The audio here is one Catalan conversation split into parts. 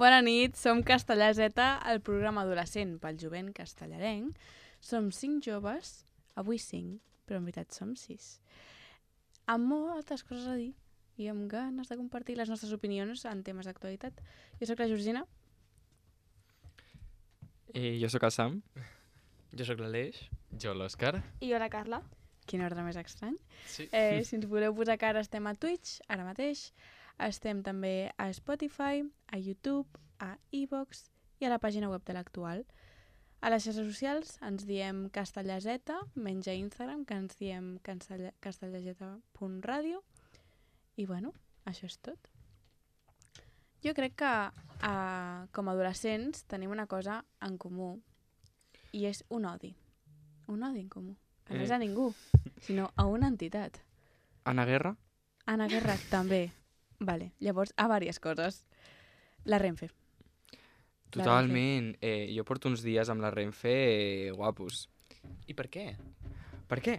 Bona nit, som Castellà Z, el programa adolescent pel jovent castellarenc. Som 5 joves, avui 5, però en veritat som 6. Amb moltes coses a dir i amb ganes de compartir les nostres opinions en temes d'actualitat. Jo sóc la Georgina. Jo sóc el Sam. Jo sóc l'Aleix. Jo l'Òscar. I jo la Carla. Quin ordre més estrany. Sí. Si ens voleu posar cara, estem a Twitch, ara mateix. Estem també a Spotify, a YouTube, a iVoox i a la pàgina web de l'Actual. A les xarxes socials ens diem Castellà Z, menys a Instagram, que ens diem castellaz.radio. I bueno, això és tot. Jo crec que com a adolescents tenim una cosa en comú i és un odi. Un odi en comú. Que no és a ningú, sinó a una entitat. Anna Guerra? Anna Guerra també. Vale, llavors, a diverses coses. La Renfe. Totalment. Jo porto uns dies amb la Renfe guapos. I per què? Per què?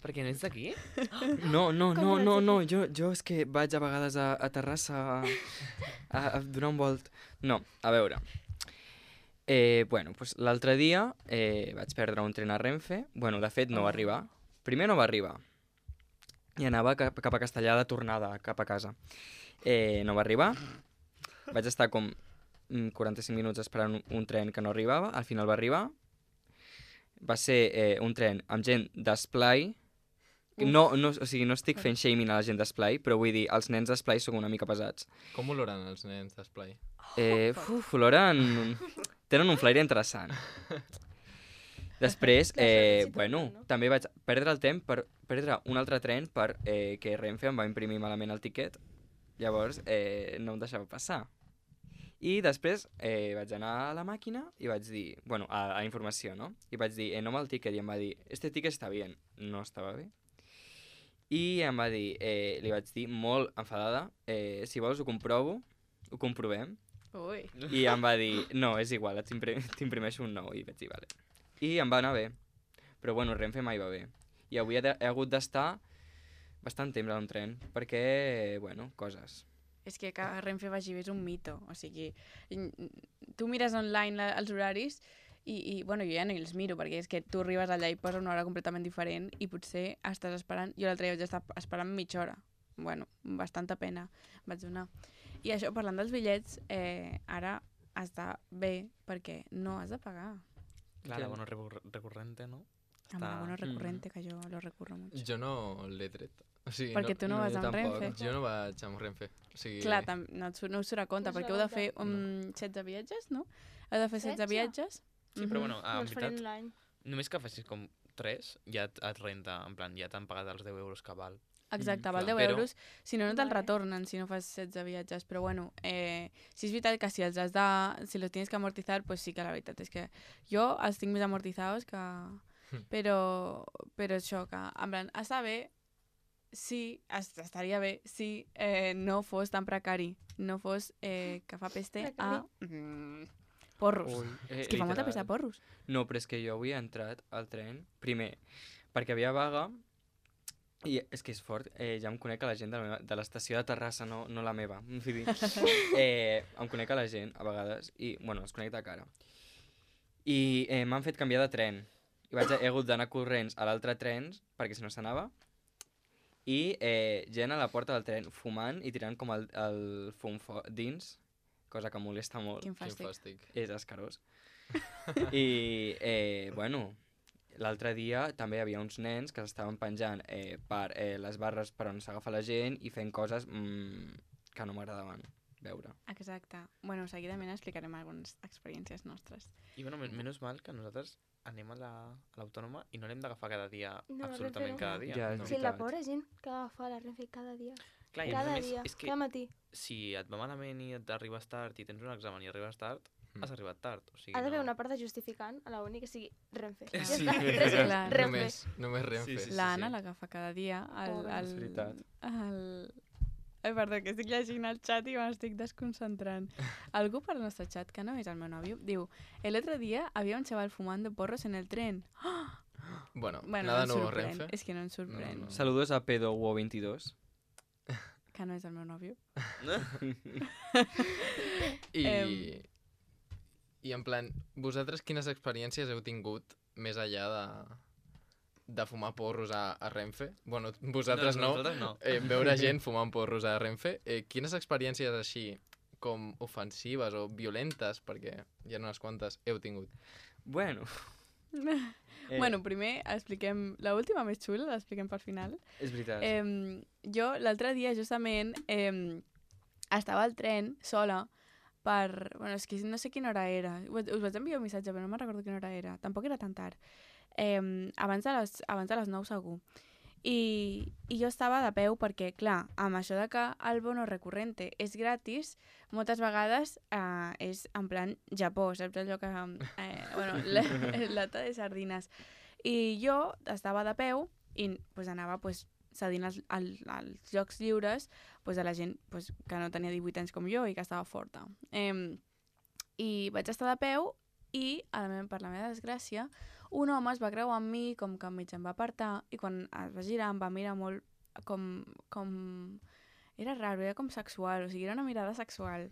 Perquè no ets d'aquí? No, jo és que vaig a vegades a Terrassa a donar un volt. No, a veure. Bueno, pues l'altre dia vaig perdre un tren a Renfe. Bueno, de fet no va arribar. Primer no va arribar. I anava cap a Castellà de tornada, cap a casa. No va arribar. Vaig estar com 45 minuts esperant un tren que no arribava. Al final va arribar. Va ser un tren amb gent d'Esplai. No, o sigui, no estic fent shaming a la gent d'Esplai, però vull dir, els nens d'Esplai són una mica pesats. Com oloren els nens d'Esplai? Oloren... Tenen un flaire interessant. Després, bueno, també vaig perdre el temps per perdre un altre tren perquè Renfe em va imprimir malament el tiquet. Llavors, no em deixava passar. I després vaig anar a la màquina i vaig dir, bueno, a informació, no? I vaig dir, no amb el tiquet, i em va dir, este tiquet està bien. No estava bé. I em va dir, li vaig dir, molt enfadada, si vols ho comprovo, ho comprovem. Ui. I em va dir, no, és igual, t'imprimeixo un nou. I vaig dir, vale. I em va anar bé. Però bueno, Renfe mai va bé. I avui he hagut d'estar bastant temps a un tren, perquè, bueno, coses. És que Renfe vagi bé és un mito. O sigui, tu mires online els horaris i bueno, jo ja no els miro, perquè és que tu arribes allà i posa una hora completament diferent i potser estàs esperant... Jo l'altre dia vaig estar esperant mitja hora. Bueno, bastanta pena vaig donar. I això, parlant dels bitllets, ara està bé perquè no has de pagar. Clar, la bono recurrente, ¿no? Amb el bono recurrente, que jo lo recurro mucho. Jo no l'he tret. O sigui, Perquè tu no vas amb tampoc. Renfe. Jo no vaig amb Renfe. O sigui... Clar, no us surt a compte, perquè heu de fer 16 viatges, no? Heu de fer 16 viatges. Sí, però bueno, en Els farem veritat, l'any. només que facis com 3, ja et renta, en plan, ja t'han pagat els 10 euros que val. Exacte, val clar, 10 però- euros, si no, no te'l Vale. retornen si no fas 16 viatges, però bueno, si és veritat que si els tienes que amortizar, pues sí que la veritat és que jo els tinc més amortizados que... Però això, que en plan, està bé, sí, estaria bé si no fos tan precari, no fos que fa peste a porros. És que fa molta peste a porros. No, però és que jo avui he entrat al tren, primer, perquè havia vaga, i és que és fort, ja em conec a la gent de l'estació de Terrassa, no la meva. Vull dir, em conec a la gent, a vegades, i, bueno, els conec de cara. I m'han fet canviar de tren. I he hagut d'anar corrents a l'altre tren, perquè si no s'anava. I gent a la porta del tren fumant i tirant com el fum dins, cosa que molesta molt. Quin Quin fàstic. fàstic. És escarós. I, bueno, l'altre dia també hi havia uns nens que s'estaven penjant per les barres per on s'agafa la gent i fent coses que no m'agradaven veure. Exacte. Bueno, seguidament explicarem algunes experiències nostres. I bueno, menys mal que nosaltres anem a l'autònoma i no l'hem d'agafar cada dia, No, absolutament Renfe no. cada dia. Ja, no. és Sí, la veritat. pobra gent que agafa la Renfe cada dia. Clar, i a Cada més, dia, és que cada matí. si et va malament i arribes tard i tens un examen i arribes tard, has arribat tard. O sigui, Ha d'haver no... una part de justificant a la uni que sigui Renfe. Ja Sí, està, és res més, clar. Renfe. Només Renfe. Sí, sí. L'Anna l'agafa cada dia. Pobra. És veritat. Ai, perdó, que estic llegint el xat i m'estic desconcentrant. Algú per al nostre xat, que no és el meu nòvio, diu: el otro día había un chaval fumando porros en el tren. Bueno, Bueno, nada no em nuevo sorprèn. Renfe. És que no em sorprèn. No. Saludos a Pedro 22. que no és el meu nòvio. I, I en plan, vosaltres quines experiències heu tingut més enllà de fumar porros a Renfe? Bueno, vosaltres no. Nosaltres no. Veure gent fumant porros a Renfe. Quines experiències així com ofensives o violentes, perquè hi ha unes quantes, heu tingut? Bueno. Bueno, primer expliquem... L'última més xula l'expliquem per final. És veritat. Jo l'altre dia justament estava al tren sola per... Bueno, és que no sé quina hora era. Us vaig enviar un missatge, però no me'n recordo quina hora era. Tampoc era tan tard. Abans de les 9 segur. I jo estava de peu perquè, clar, amb això de que el bono recurrente és gratis, moltes vegades és en plan Japó, saps allò que... bueno, lata de sardines. I jo estava de peu i pues, anava pues, cedint els llocs lliures pues, a la gent pues, que no tenia 18 anys com jo i que estava forta. I vaig estar de peu i, per la meva desgràcia, un home es va creuar amb mi, com que mig em va apartar, i quan es va girar em va mirar molt com... Era raro, era com sexual, o sigui, era una mirada sexual.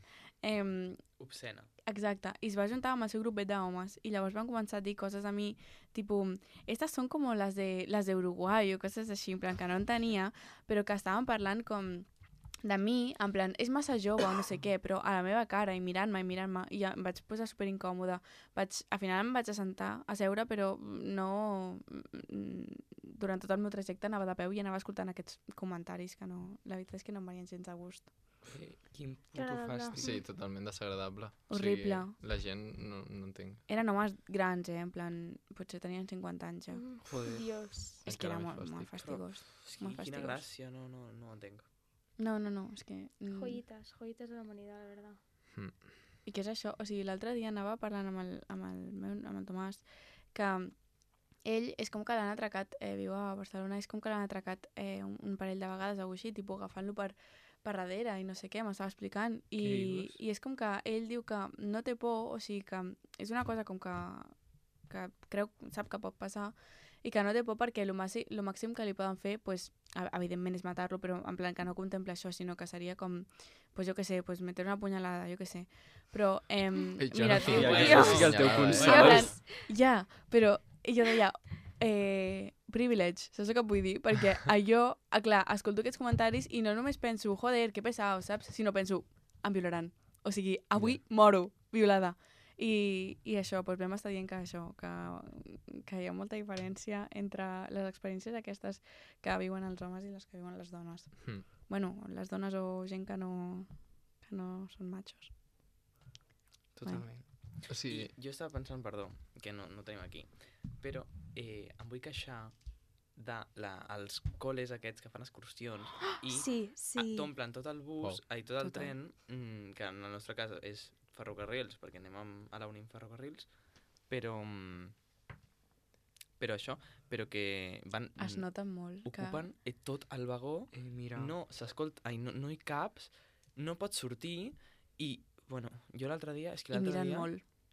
Obscena. Exacte, i es va juntar amb el seu grupet d'homes, i llavors van començar a dir coses a mi, tipus, estas son como las de Uruguai, o coses així, en plan, que no entenia, però que estaven parlant com de mi, en plan, és massa jove o no sé què, però a la meva cara i mirant-me, i ja em vaig posar superincòmoda. Al final em vaig a seure, però no... Durant tot el meu trajecte anava de peu i anava escoltant aquests comentaris que no... La veritat és que no em venien gens a gust. Quin puto fàstic. Sí, totalment desagradable. Horrible. O sigui, la gent no entenc. Eren homes grans, en plan, potser tenien 50 anys ja. Joder. Dios. És que era Encara més molt fàstic. fastigós. És que Molt quina fastigós. gràcia, no ho entenc. No, és que... Joyitas de la humanidad, la verdad. I què és això? O sigui, l'altre dia anava parlant amb el Tomàs que ell és com que l'han atracat, viu a Barcelona, és com que l'han atracat un parell de vegades o així, tipus agafant-lo per darrere i no sé què, m'estava explicant. I és com que ell diu que no té por, o sigui que és una cosa com que sap que pot passar i que no té por perquè lo màxim que li poden fer, pues, evidentment és matar-lo, però en plan que no contempla això, sinó que seria com, pues jo què sé, pues meter una punyalada, jo què sé. Però, mira, no tio, tinc això sí que el teu consol. ja, però jo deia, privilege, saps el que vull dir? Perquè jo, clar, escolto aquests comentaris i no només penso, joder, que pesado, saps? Sinó penso, em violaran. O sigui, avui moro violada. I això, doncs vam estar dient que això, que hi ha molta diferència entre les experiències aquestes que viuen els homes i les que viuen les dones. Bueno, les dones o gent que no són machos. Totalment. O sigui, Jo estava pensant, perdó, que no tenim aquí, però em vull queixar dels col·les aquests que fan excursions i Sí. t'omplen tot el bus, tot el Total. tren, que en el nostre cas és ferrocarrils, perquè anem a la uni en ferrocarrils, però això, però que van... Es nota molt. Ocupen tot el vagó, Mira. no s'escolta, no hi caps, no pots sortir i, bueno, jo l'altre dia... És que I l'altre dia...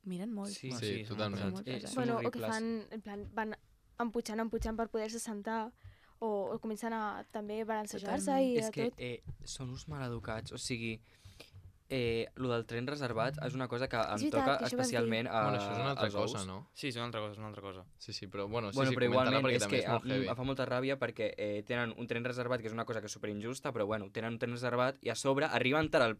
miren molt. Sí, Bueno, sí, són totalment. molt pesats. Són Bueno, o que horribles. fan, en plan, van empujant per poder-se sentar o comencen a també balancejar-se Totalment. i És a que tot. són uns maleducats, o sigui, lo del tren reservat és una cosa que em veritat, toca que això vas dir. especialment bueno, això és una altra als cosa, ous. no? Sí, és una altra cosa. Sí, però bueno, Bueno, però coméntala igualment perquè és també que és molt heavy. em fa molta ràbia perquè tenen un tren reservat, que és una cosa que és superinjusta, però bueno, tenen un tren reservat i a sobre arriben tard al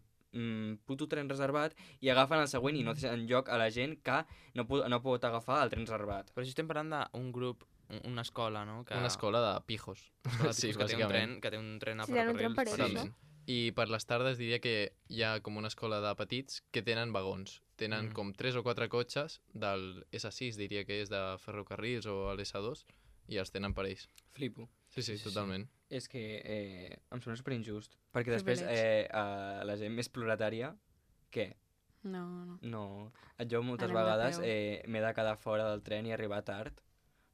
puto tren reservat i agafen el següent i no deixen lloc a la gent que no pot agafar el tren reservat. Però si estem parlant d'un grup, una escola, no? Una escola de pijos. Sí, que té bàsicament. un tren a Sí, tenen un tren per ells, ferrocarrils. no? Totalment. I per les tardes diria que hi ha com una escola de petits que tenen vagons. Tenen com 3 o 4 cotxes del S6, diria que és de ferrocarrils o l'S2, i els tenen per ells. Flipo. Sí, totalment. És que em sembla superinjust. Perquè després la gent més proletària, què? No. No. Jo moltes Anem de vegades peu. m'he de quedar fora del tren i arribar tard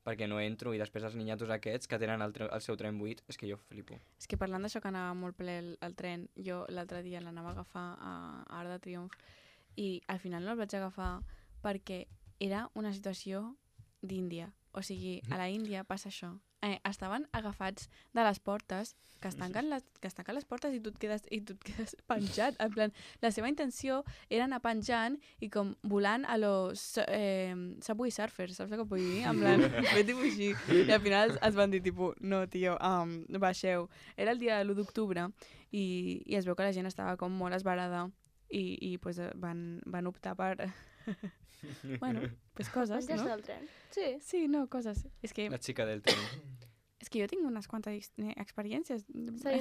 perquè no entro i després els ninyatos aquests que tenen el seu tren buit, és que jo flipo. És que parlant d'això que anava molt ple el tren, jo l'altre dia l'anava a agafar a Arc de Triomf i al final no el vaig agafar perquè era una situació d'Índia. O sigui, a la Índia passa això. estaven agafats de les portes, que es tanquen les portes i tu et quedes penjat. En plan, la seva intenció era anar penjant i com volant a los Subway Surfers, saps el que vull dir? En plan, fer tipus així. I al final es van dir, tipus, no, tio, baixeu. Era el dia de l'1 d'octubre i es veu que la gent estava com molt esbarada i pues, van optar per... bueno, pues coses, Penjar-se no? del tren. Sí. Sí, no, coses. És que La xica del tren. jo tinc unes quantes experiències.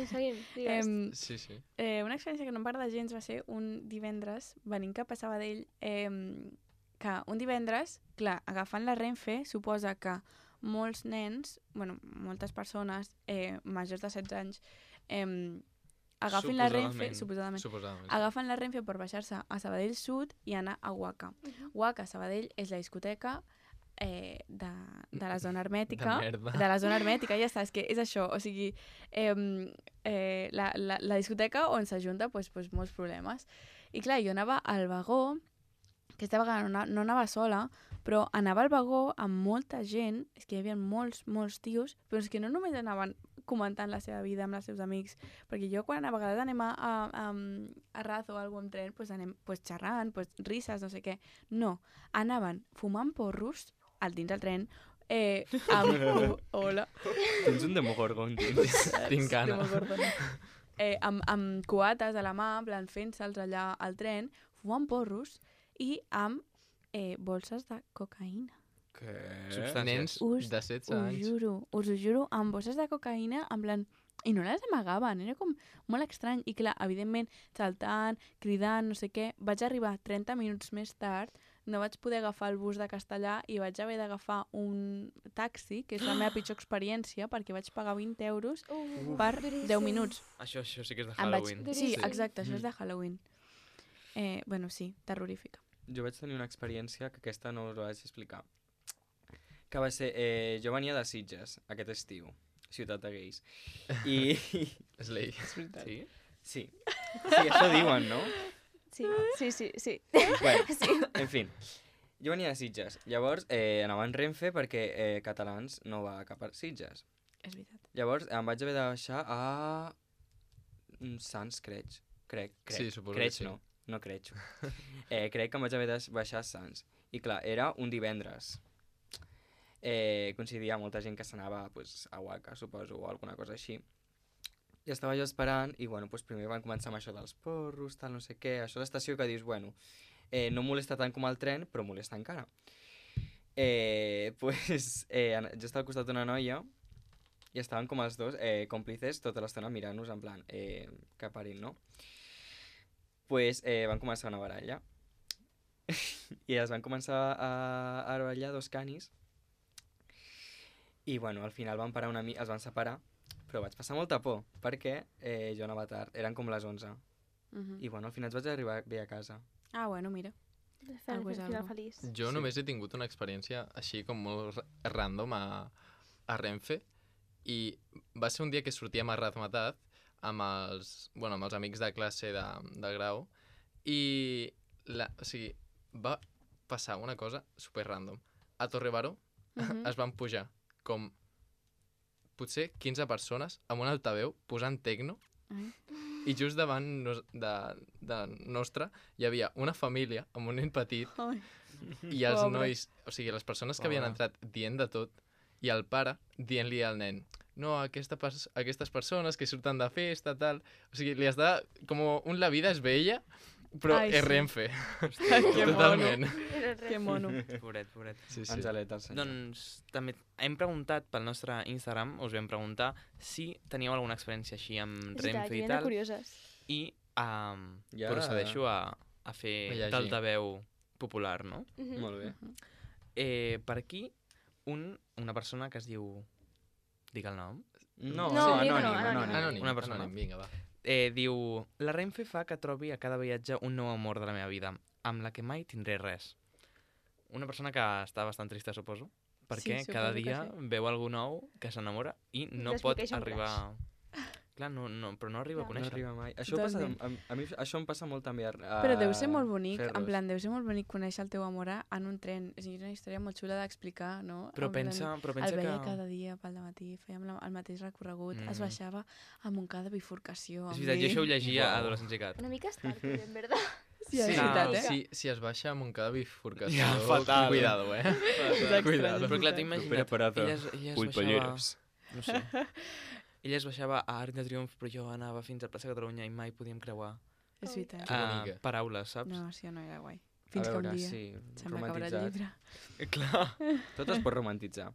Seguim, digues. Sí, sí. Una experiència que no em va agradar gens va ser un divendres, venint cap a Sabadell, que un divendres, clar, agafant la Renfe, suposa que molts nens, bueno, moltes persones majors de 16 anys, agafin la Renfe, suposadament, agafen la Renfe per baixar-se a Sabadell Sud i anar a Waka. Waka, Sabadell, és la discoteca de la zona hermètica. De la zona hermètica, ja està, és que és això. O sigui, la discoteca on s'ajunta pues, molts problemes. I clar, jo anava al vagó, aquesta vegada no anava sola, però anava al vagó amb molta gent, és que hi havia molts tios, però és que no només anaven comentant la seva vida amb els seus amics, perquè jo quan a vegades anem a Raz o alguna amb tren, pues anem xerrant, risses, no sé què. No, anaven fumant porros al dins del tren, amb... Hola. Tens un demogorgon. Tinc gana. Amb coates a la mà, en plan fent-se'ls allà al tren, fumant porros i amb bolses de cocaïna. Què? Nens de 16 anys. Us ho juro, amb bosses de cocaïna, en plan... I no les amagaven, era com molt estrany. I clar, evidentment, saltant, cridant, no sé què, vaig arribar 30 minuts més tard, no vaig poder agafar el bus de Castellà i vaig haver d'agafar un taxi, que és la meva pitjor experiència, perquè vaig pagar 20 euros per 10 minuts. Això sí que és de Halloween. Sí, exacte, això és de Halloween. Bueno, sí, terrorífica. Jo vaig tenir una experiència que aquesta no us la vaig explicar. Que va ser... jo venia de Sitges, aquest estiu, ciutat de gais. I... Slay. Sí? Sí, això diuen, no? Sí. Bueno, en fi, jo venia de Sitges. Llavors anava en Renfe perquè Catalans no va cap a Sitges. És veritat. Llavors em vaig haver de baixar a Sants, crec. Sí, suposo crec, que sí. No crec. Crec que em vaig haver de baixar a Sants. I clar, era un divendres. Coincidia molta gent que s'anava a Waka, suposo, o alguna cosa així. I estava jo esperant, i bueno, primer van començar amb això dels porros, tal, no sé què, això a l'estació que dius, bueno, no molesta tant com el tren, però molesta encara. Jo estava al costat d'una noia, i estaven com els dos còmplices tota l'estona mirant-nos en plan, que parin, no? Van començar una baralla, i es van començar a barallar dos canis, i bueno, al final van parar es van separar, però vaig passar molta por, perquè jo anava tard, eren com les 11. I bueno, al final vaig arribar bé a casa. Ah, bueno, mira. Algo és Final algo. feliç. Jo només he tingut una experiència així com molt random a Renfe, i va ser un dia que sortíem a Razmataz amb els amics de classe de grau, i va passar una cosa super random. A Torrebaró es van pujar com potser 15 persones amb un altaveu posant tecno, i just davant de nostre hi havia una família amb un nen petit, i els nois, o sigui, les persones que havien entrat dient de tot, i el pare dient-li al nen, no, aquestes persones que surten de festa, tal... O sigui, li has de... Com un La vida és bella, però Ai, és sí. Renfe. Que Totalment. Que mono. Pobret. Sí. Angeleta, el senyor. Doncs també hem preguntat pel nostre Instagram, us vam preguntar si teníeu alguna experiència així amb Renfe i tal, curioses. i Ja. procedeixo a fer A llegir. d'altaveu popular, no? Molt bé. Per aquí, una persona que es diu... Dic el nom? No, No, anònim. Anònim, Una persona. vinga, va. Diu, la Renfe fa que trobi a cada viatge un nou amor de la meva vida, amb la que mai tindré res. Una persona que està bastant trista, suposo, perquè Sí, cada suposo que dia sí. veu algú nou que s'enamora i no Després pot queixa un arribar... Clar, però no arriba a Clar. No conèixer. arriba mai. Això, passa, Totalment. a mi això em passa molt també a Però deu ser molt bonic, en Ferros. plan, deu ser molt bonic conèixer el teu amor en un tren. És una història molt xula d'explicar, no? Però En plan, pensa el veia que... cada dia pel matí, fèiem el mateix recorregut, es baixava a Montcada bifurcació. És amb veritat, jo ell. això ho llegia a Uau. Adolescents i Cat. Una mica Starkiller, en verdad. Sí, és Sí. veritat, No, eh? Si es baixa a Montcada bifurcació, Ja, fatal. cuidado, Cuidado. Però clar, t'ho imagina't, Preparada. ella es baixava... No sé. Ella es baixava a Arc de Triomf, però jo anava fins a Plaça Catalunya i mai podíem creuar És veritat. Que bonica. paraules, saps? No, sí, no era guai. A Fins que veure, un dia sí, se'm va acabar el romantitzat. llibre. Clar. Tot es pot romantitzar.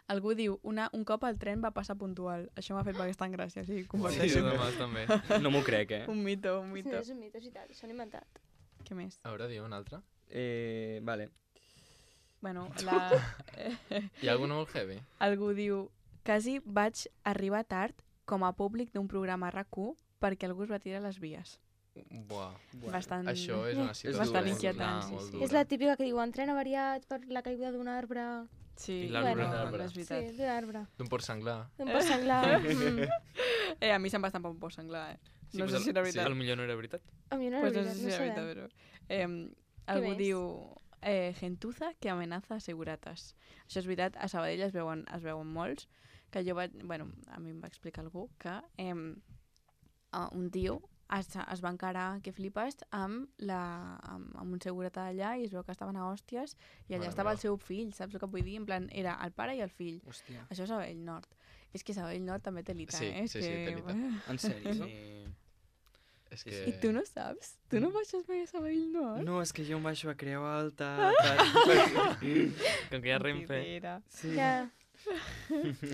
Algú diu, un cop el tren va passar puntual. Això m'ha fet bastant gràcia, sí, Sí, comparteixo. demà també. No m'ho crec, eh? Un mito, un No, mito. és un mite, és veritat, s'ho han inventat. Què més? A veure, diu un altre. Vale. Bueno, Hi ha alguna molt heavy? algú diu, quasi vaig arribar tard com a públic d'un programa RAC1 perquè algú es va tirar a les vies. Buah. Bastant... Això és una situació bastant molt inquietant, dura, sí, molt sí. dura. És la típica que diuen tren avariat per la caiguda d'un arbre. Sí, I l'arbre. bueno, L'arbre. és Sí, veritat. d'un arbre. D'un porc senglar. Un porc senglar. A mi se'm va estampar un por senglar, eh? Sí, No pues sé si era veritat. Potser no era veritat. A mi no Pues era no sé veritat, si no era sabem. veritat, però... algú més? diu gentuza que amenaza asegurates. Això és veritat, a Sabadell es veuen molts, que jo vaig... Bueno, a mi em va explicar algú que un tio es va encarar, que flipes, amb un segurata d'allà i es veu que estaven a hòsties i allà Mare estava meva. el seu fill, saps el que vull dir? En plan, era el pare i el fill. Hòstia. Això és Sabadell Nord. És que Sabadell Nord també té lita, Sí, eh? És sí, sí, que... té lita. En sèrio? Sí. És Sí, que... I tu no saps? Tu no baixes mai a Sabadell Nord? No, és que jo em baixo a Creu Alta. Com que hi ha Renfe. Mentidera. Sí. Ja.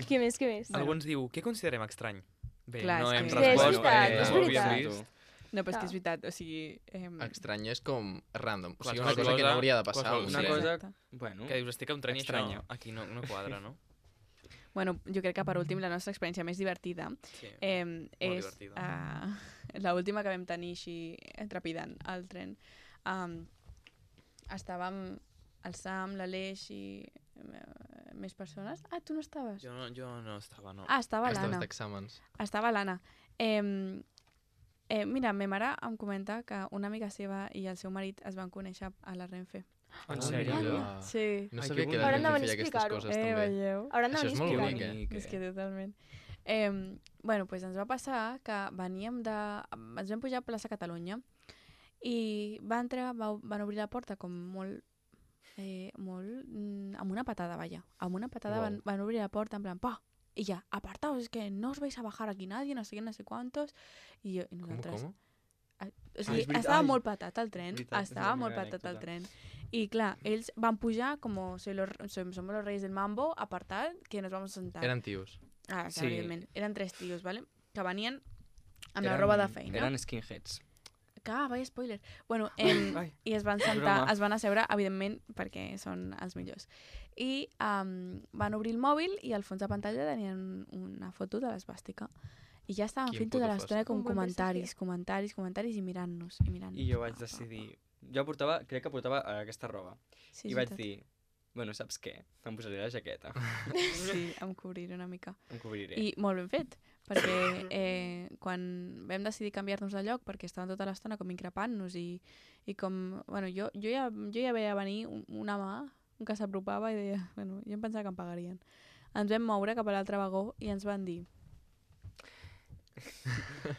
Què més, què més? Algú ens diu, què considerem estrany? Bé, Clar, no és hem que- Sí, és respost. veritat, és ho veritat. havíem vist. No, però és que Clar. és veritat, o sigui... Estrany és com random. O sigui, Qualsevol una cosa que no cosa- hauria de passar. qualsevol- O Una sigui, cosa- Exacte. Bueno, Que dius, estic a un tren i això Estranya. aquí no quadra, no? Bueno, jo crec que per últim la nostra experiència més divertida Sí. és divertida. l'última que vam tenir així trepidant al tren. Estàvem el Sam, l'Aleix i més persones. Ah, tu no estaves? Jo no estava, no. Ah, estava estaves l'Anna. d'exàmens. Estava l'Anna. Mira, ma mare em comenta que una amiga seva i el seu marit es van conèixer a la Renfe. en sèrio? mira. Sí. No Ai, sabia que que bonic. la Hauran de gent venir feia a aquestes explicar-ho. coses també. Veieu? Hauran de Això venir és a molt explicar-ho. bonic, És que totalment. Bueno, doncs ens va passar que veníem de... Ens vam pujar a plaça Catalunya i van obrir la porta com molt... amb una patada, vaja. Amb una patada Uau. van obrir la porta en plan, pa! Y ya, apartaos, es que no os vais a bajar aquí nadie, no sé qué, no sé cuántos. I nosaltres... Com? O sigui, és veritat. estava Ai, molt patat el tren, veritat, estava és la molt meva patat el anècdota. tren. I clar, ells van pujar com somos los reyes del mambo, apartat, que nos vamos a sentar. Eren tios. Ah, clar, Sí. evidentment. Eren 3 tios, ¿vale? Que venien amb la roba de feina. Eren skinheads. Vaya spoiler. Bueno, Ai, i es van sentar, broma. es van asseure, evidentment, perquè són els millors. I van obrir el mòbil i al fons de pantalla tenien una foto de l'esbàstica. I ja estaven Quin fent tota puto l'estona fàstic. com Un bon comentaris i mirant-nos. I jo vaig decidir... Jo crec que portava aquesta roba. Sí, I és vaig veritat. dir, bueno, saps què? Em posaré la jaqueta. Sí, em cobriré una mica. Em cobriré. I molt ben fet, perquè quan vam decidir canviar-nos de lloc, perquè estaven tota l'estona com increpant-nos i com... Bueno, jo ja veia venir una mà que s'apropava i deia... Bueno, jo em pensava que em pagarien. Ens vam moure cap a l'altre vagó i ens van dir...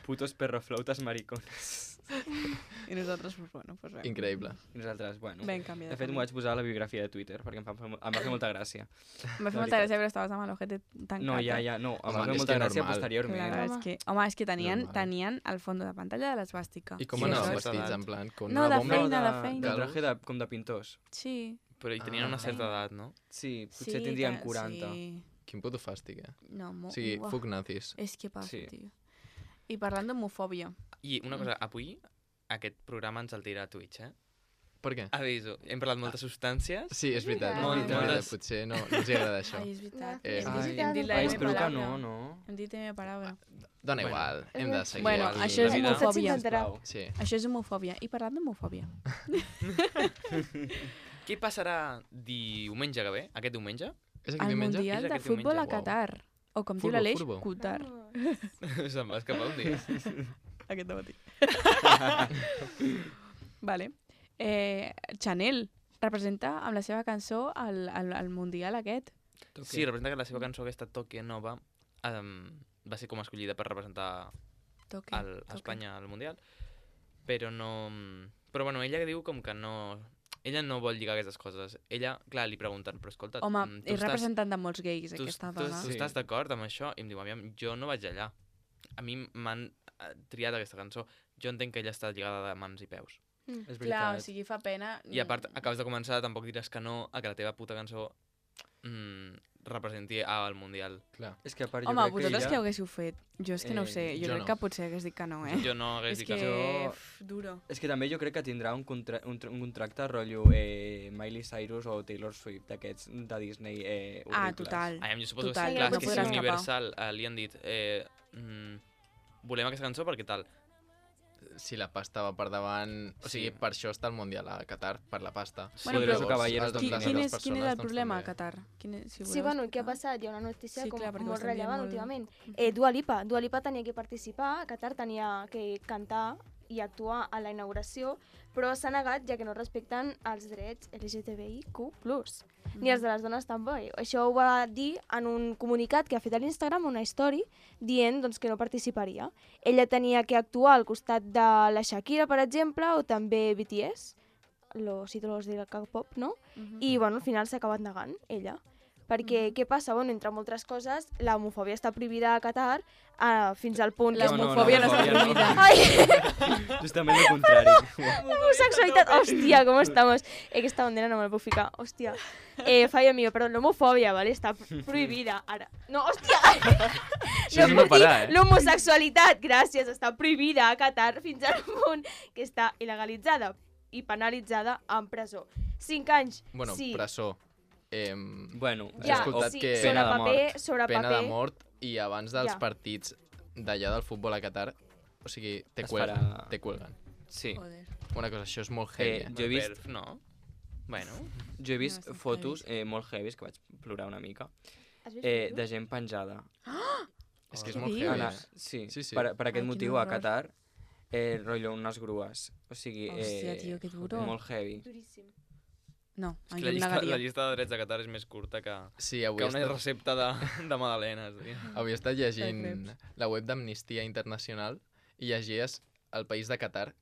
Putos perroflautas maricones. I nosaltres, pues, bueno, pues res. Increïble. I nosaltres, bueno... Vam canviar De fet, m'ho vaig posar a la biografia de Twitter, perquè em va fer molta gràcia. Em va fer molta gràcia, però estaves amb l'ojete tancat. No, ja, no, em va Home, fer és molta que gràcia normal. posteriorment. Clar, és que, home, és que tenien Normal. el fons de pantalla de l'esbàstica. I com Sí, anaven això és vestits, edat. en plan? Con No, una de bomba? feina, de de feina. traje com de pintors. Sí. Però hi tenien Ah. una certa edat, no? Sí, Sí, potser tindrien que- 40. Sí. Quin puto fàstic, eh? No, O sigui, uah, fuck nazis. És que passa, Sí. tio. I parlant d'homofòbia. I una cosa, avui aquest programa ens el tira a Twitch, eh? Per què? Aviso, hem parlat moltes substàncies. Sí, és veritat. És Molt- veritat, moltes- potser no els agrada això. Ai, és veritat. Eh, Hem dit la Ai, M espero que paraula. no. Hem dit M paraula. Dona Bueno. igual, hem de seguir. Bueno, el- això és la vida. homofòbia. Sisplau. Sí. Això és homofòbia. I parlant d'homofòbia. Què passarà diumenge que ve, aquest diumenge? És aquest El diumenge? Mundial És de aquest Futbol a diumenge, uau. Qatar. O com diu l'Aleix, Furbo. Qatar. Se'n va escapar un dia. Aquest matí. Vale. Chanel representa amb la seva cançó el Mundial aquest. Sí, representa que la seva cançó aquesta Toque Nova va ser com escollida per representar Toque. a Espanya al Mundial, però no... Però bueno, ella diu com que no... Ella no vol lligar aquestes coses. Ella, clar, li pregunten, però escolta... Home, és representant de molts gais, tu, aquesta tu, dona. tu estàs d'acord amb això? I em diu, aviam, jo no vaig allà. A mi m'han triat aquesta cançó. Jo entenc que ella està lligada de mans i peus. És Clar, o veritat. sigui, fa pena... I a part, acabes de començar, tampoc diràs que no a que la teva puta cançó representi al Mundial. Clar. És que a part jo Home, crec vosaltres que què ella... haguéssiu fet? Jo és que no ho sé. Jo jo crec no. que potser hagués dit que no, eh? Jo no hagués És dit que... que... Jo- Duro. És que també jo crec que tindrà un contracte rotllo Miley Cyrus o Taylor Swift, d'aquests de Disney horribles. Ah, total. Jo suposo Total, que clar, no és que si podrà escapar. Universal li han dit volem aquesta cançó perquè tal. Si la pasta va per davant... O sigui, Sí. per això està el Mundial a Qatar, per la pasta. Bueno, Poderoso però caballeros els- Quin, les quin, altres és, persones, quin és el doncs, problema a també. Qatar? Si Sí, voleu bueno, què ha explicar. passat? Hi ha una notícia Sí, com clar, perquè ho molt estem dient rellevant molt. últimament. Dua Lipa. Dua Lipa tenia que participar, a Qatar tenia que cantar i actuar a la inauguració, però s'ha negat ja que no respecten els drets LGTBIQ+, ni els de les dones també. Això ho va dir en un comunicat que ha fet a l'Instagram, una story, dient doncs, que no participaria. Ella tenia que actuar al costat de la Shakira, per exemple, o també BTS, los ídolos del K-pop, no? I bueno, al final s'ha acabat negant, ella. Perquè què passa? Bueno, entre moltes coses, la homofòbia està prohibida a Qatar fins al punt La que... homofòbia no està prohibida. Ai, Justament el contrari. homosexualitat, hòstia, com estamos? Aquesta bandera no me la puc ficar, hòstia. Fallo mío, perdó, l'homofòbia, ¿vale? Està prohibida, ara. No, hòstia! Això és no puc dir parar, l'homosexualitat, gràcies, està prohibida a Qatar fins al punt que està il·legalitzada i penalitzada en presó. 5 anys, Bueno, sí. presó. Bueno, He Ja, escoltat sí, que- sobre Pena de paper, mort. sobre pena paper. de mort i abans dels Ja. partits d'allà del futbol a Qatar, o sigui, te Es cuelgan, farà- te cuelgan. sí. Joder. Una cosa, això és molt heavy, Jo he vist, Perf, no? Bueno, jo he vist estan fotos molt heavies, que vaig plorar una mica, Has vist de fotos? gent penjada. És que és Què molt dius? heavy. Ana, sí, Sí, sí. Per aquest Ai, quin motiu a horror. Qatar, rotllo unes grues. O sigui, Hòstia, tio, que duro. molt heavy. Duríssim. No, és que jo la em llista, negaria. la llista de drets de Qatar és més curta Sí, que avui he una estat, recepta de magdalenes. Tio. avui he estat llegint creps. la web d'Amnistia Internacional i llegies el país de Qatar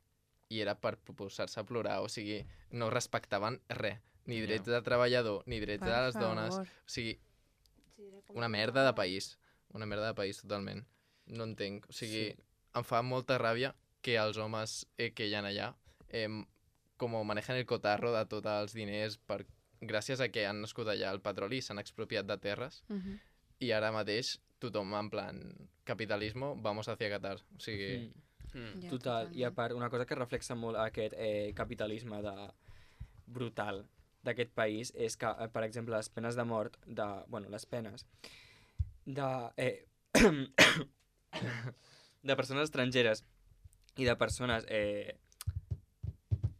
i era per posar-se a plorar, o sigui, no respectaven res, ni drets de treballador, ni drets de les dones, o sigui, una merda de país, totalment. No entenc, o sigui, em fa molta ràbia que els homes que hi ha allà com manejen el cotarro de tots els diners gràcies a que han nascut allà el petroli i s'han expropiat de terres i ara mateix tothom en plan capitalisme, vamos hacia Qatar, o sigui... Ja, Total, i a part, una cosa que reflexa molt aquest capitalisme brutal d'aquest país és que, per exemple, les penes de mort, les penes de, de persones estrangeres i de persones,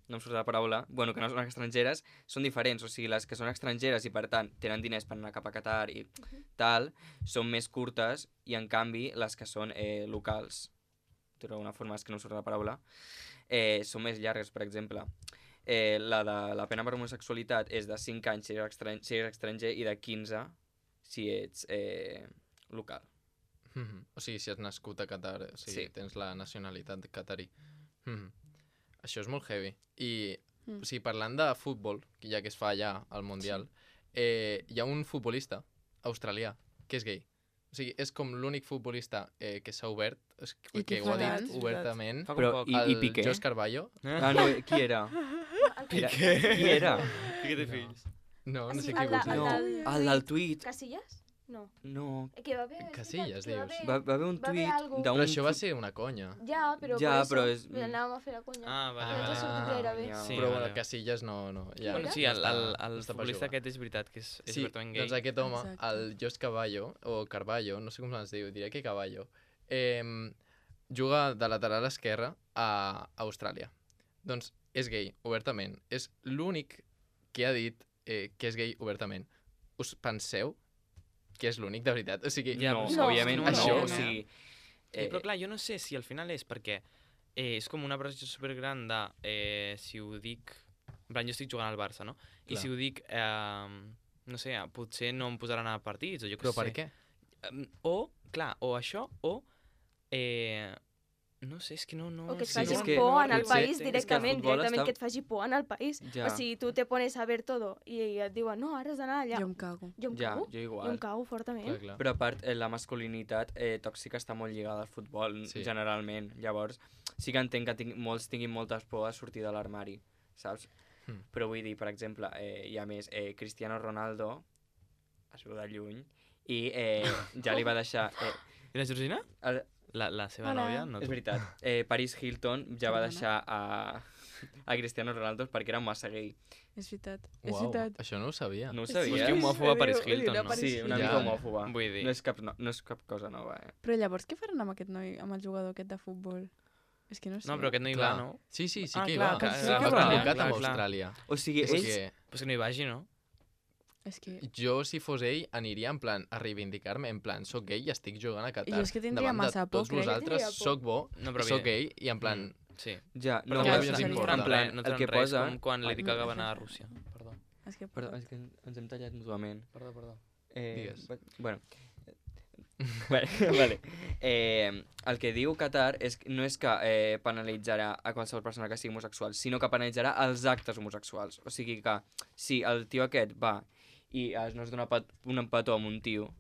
no em surt la paraula, que no són estrangeres, són diferents, o sigui, les que són estrangeres i per tant tenen diners per anar cap a Qatar i tal, són més curtes i en canvi les que són locals, d'alguna forma és que no em surt la paraula, són més llargues, per exemple. La de la pena per homosexualitat és de 5 anys si ets estranger i de 15 si ets local. O sigui, si has nascut a Qatar, o sigui, Sí. tens la nacionalitat qatari. Això és molt heavy. I, o sigui, parlant de futbol, ja que es fa allà al Mundial, hi ha un futbolista australià que és gay. O sigui, és com l'únic futbolista que s'ha obert, I que què ho ha farà? dit obertament, Fa Però, com poc. i el Piqué? Jos Carballo. Ah, no, qui era? Qui era? Piqué té fills. No, no sé El qui de- vols dir. No, el del tuit. Casillas? No. No, Que va haver... Casillas, que va dius. haver- va haver un va haver tuit algo. d'un... Però això va ser una conya. Ja, però Ja, per però això és- anàvem a fer la conya. Ah, vale, No ens ha vale. sortit gaire bé. ja. Sí, Però vale. bueno, Casillas no. Ja, Bueno, sí, no està- el no està per futbolista jugar. aquest és veritat que és Sí, obertament gay. doncs aquest home, Exacte. el Jos Caballo, o Carballo, no sé com es diu, diré que Caballo, juga de lateral esquerre a Austràlia. Doncs és gay, obertament. És l'únic que ha dit que és gay obertament. Us penseu que és l'únic, de veritat. O sigui, Ja, no, però òbviament no, no, no. o sigui... Però clar, jo no sé si al final és perquè és com una pressió supergran de si ho dic... En plan, jo estic jugant al Barça, no? I Clar. si ho dic, no sé, potser no em posaran a partits, o jo què però sé. per què? O, clar, o això, o... no sé, és que no... O que et Sí, faci és que por no, en el potser- país és que el directament, futbol directament està- que et faci por en el país. Ja. O sigui, tu te pones a ver todo i et diuen, no, ara has d'anar allà. Jo em cago. Jo em Ja, cago. jo Jo igual. em cago fortament. Clar, clar. Però a part, la masculinitat tòxica està molt lligada al futbol, Sí. generalment. Llavors, sí que entenc que molts tinguin moltes por a sortir de l'armari, saps? Però vull dir, per exemple, hi ha més, Cristiano Ronaldo es veu de lluny i ja li va deixar... I la Georgina? El, La seva Hola. nòvia? No, és tu. veritat, Paris Hilton ja va Perdona? deixar a Cristiano Ronaldo perquè era massa gay. És veritat. És Uau, veritat. això no ho sabia. No ho Pues sabies? que homòfoba Paris Ho diu Hilton, la no? Paris Sí, una Ja. mica homòfoba. Vull dir... No és cap cosa nova, Però llavors què faran amb aquest noi, amb el jugador aquest de futbol? És que no sé. No, però aquest no hi va, no? Sí, sí Ah, que hi clar, va. que sí que Va va. convocat Clar, amb clar. Austràlia. O sigui, És ells... que Pues que no hi vagi, no? És que... jo, si fos ell, aniria en plan a reivindicar-me, en plan, soc gay i estic jugant a Qatar. Jo és que tindria Davant massa de por, tots crec. vosaltres, Tindria por. soc bo, No, però soc mira. gay, i en plan... Sí. Ja, Però no, ja no, us no importa. tenen en plan, res, no el tenen que res, posa... com quan Lady Ah, Gaga no, va anar a no. Rússia. Perdó. És que... Perdó, és que ens hem tallat mútuament. Perdó. Digues. Bueno. Vale. El que diu Qatar no és que penalitzarà a qualsevol persona que sigui homosexual, sinó que penalitzarà els actes homosexuals. O sigui que si el tio aquest va i no es dona un petó amb un tio...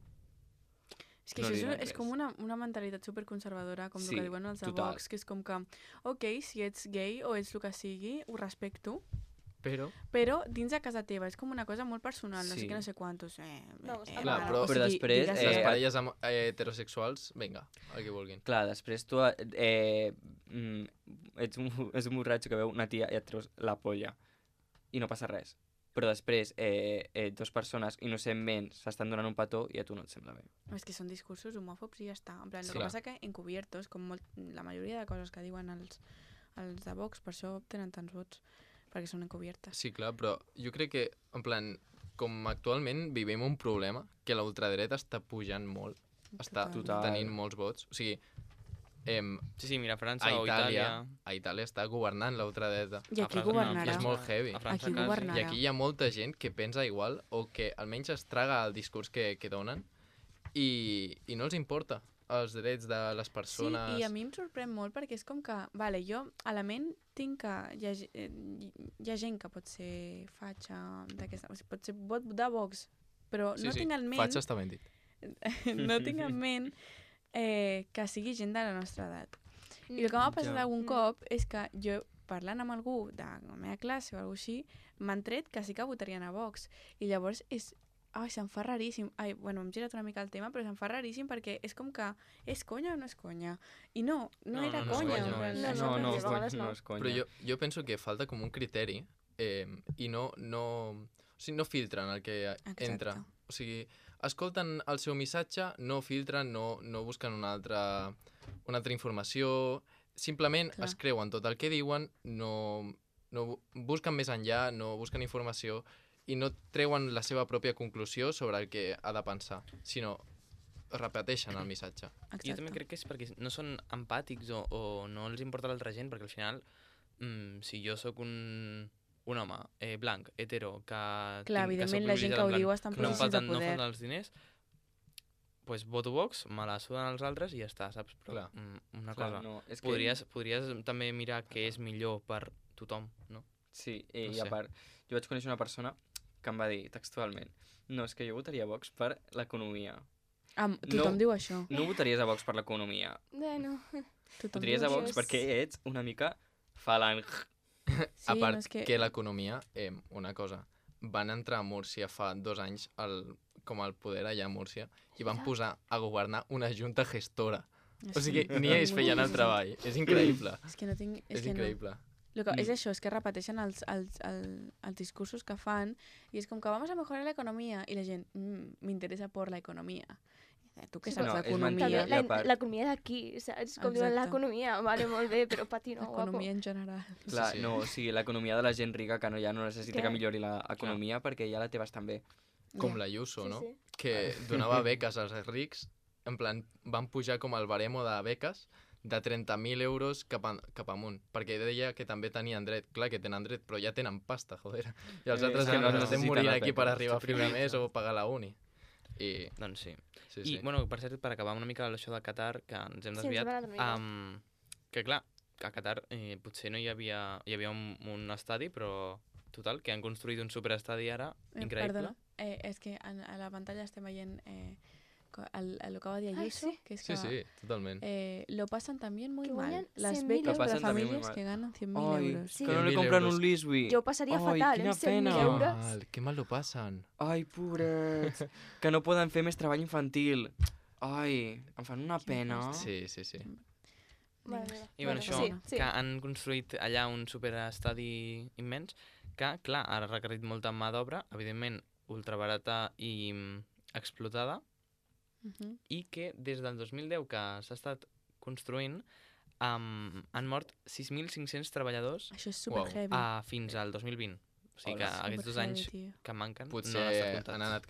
És que No això li diran és com una mentalitat superconservadora, com Sí, el que diuen els de total. Vox, que és com que, ok, si ets gay o ets el que sigui, ho respecto, Però, però dins de casa teva és com una cosa molt personal, no sé Sí. què, no sé quantos. No, està Clar, mal. però- Però després, digues- les Eh, parelles heterosexuals, vinga, el que vulguin. Clar, després tu ets un borratxo que veu una tia i et treus la polla i no passa res. Però després dues persones innocentment s'estan donant un petó i a tu no et sembla bé. És que són discursos homòfobs i ja està. En plan, el Sí. que Clar. passa que encubiertos, com la majoria de coses que diuen els de Vox, per això tenen tants vots, perquè són encubiertes. Sí, clar, però jo crec que, en plan, com actualment vivim un problema, que la ultradreta està pujant molt, està Total. tenint molts vots. O sigui, Sí, mira, França a o Itàlia... Itàlia està governant la ultradreta. I A aquí França governarà. I és molt heavy. A França Aquí quasi. governarà. I aquí hi ha molta gent que pensa igual o que almenys es traga el discurs que donen i no els importa els drets de les persones. Sí, i a mi em sorprèn molt perquè és com que, vale, jo a la ment tinc que hi ha gent que pot ser fatxa d'aquesta, o sigui, pot ser vot de Vox, però no tinc en ment, Fatxa està ben dit. no tinc en ment que sigui gent de la nostra edat. I el que m'ha passat Ja. algun cop és que jo, parlant amb algú de la meva classe o alguna així, m'han tret que sí que votarien a Vox. I llavors és... Ai, se'm fa raríssim. Ai, bueno, hem girat una mica el tema, però se'm fa raríssim perquè és com que és conya o no és conya? I no era no és conya. conya, en plan, no és- No, no, a vegades no. no és conya. Però jo penso que falta com un criteri i o sigui, no filtren el que entra. O sigui, escolten el seu missatge, no filtren, no busquen una altra informació, simplement Clar. es creuen tot el que diuen, no busquen més enllà, no busquen informació i no treuen la seva pròpia conclusió sobre el que ha de pensar, sinó repeteixen el missatge. Jo també crec que és perquè no són empàtics o no els importa l'altra gent, perquè al final, si jo sóc un home blanc, hetero, que Clar, tinc, evidentment soc la gent que privilegiat, ho en plan, diu està en que no em processos de falten, no em poder. falten els diners, pues voto Vox, me la suden els altres i ja està, saps? Però Clar. una Clar, cosa, no, és que... podries també mirar què és millor per tothom, no? Sí, No i sé. a part, jo vaig conèixer una persona que em va dir textualment no, és que jo votaria Vox per l'economia. Tothom No. diu això. No votaries a Vox per l'economia. Bueno, Tothom Votaries diu a això. Vox perquè ets una mica falang. Sí, A part no, és que l'economia, una cosa, van entrar a Múrcia fa 2 anys com al poder allà a Múrcia i van posar a governar una junta gestora. O sigui, ni ells feien el treball. És increïble. És que no tinc... És increïble. És això, és que repeteixen els discursos que fan i és com que vamos a mejorar la economía i la gent, m'interessa por la economia. Tu què Sí, saps no, és d'economia? també mentida. I a part- l'economia d'aquí, saps? Com diuen Exacte. l'economia, vale, molt bé, però pati no, guapo. Economia en general. Clar, Sí, sí. no, o sigui, l'economia de la gent rica que ja no necessita Clar. que millori l'economia perquè ja la té bastant bé. com Ja. la Ayuso, Sí, no? sí. Que donava beques als rics, en plan, van pujar com el baremo de beques de 30.000 euros cap amunt, perquè deia que també tenien dret. Clar que tenen dret, però ja tenen pasta, joder. I els altres que que no no estem necessiten morint la aquí beca, per arribar a estic fi de mes privilegiat. o pagar la uni. I, Doncs sí. sí, I, sí. bueno, per cert, per acabar una mica això de Qatar, que ens hem Sí, ens desviat, hem anat una mica. que clar, a Qatar potser no hi havia un estadi, però total, que han construït un superestadi ara, increïble. Perdona, és que a la pantalla estem veient el que va dir Ah, Ayuso, sí. que es Sí, sí, totalment. lo pasan también muy Que mal. guanyen Las 100.000 becas Lo para pasan también muy familias mal. que ganan 100.000 Ai, euros. Sí. que no li 100.000 compren euros. un Lisby. Jo ho passaria Ai, fatal, quina 100.000 pena. euros. Que mal lo passen. Ai, pobrets, que no poden fer més treball infantil. Ai, em fan una pena. Sí, sí, sí. Mare meva. I bueno, això, sí, sí. que han construït allà un superestadi immens, que, clar, ha requerit molta mà d'obra, evidentment, ultrabarata i explotada, Ujú. i que des del 2010 que s'ha estat construint han mort 6.500 treballadors Això és super Uau. heavy. fins al 2020. O sigui que Hola. aquests 2 Superheavy, anys tio. que manquen Potser no han estat comptats. han anat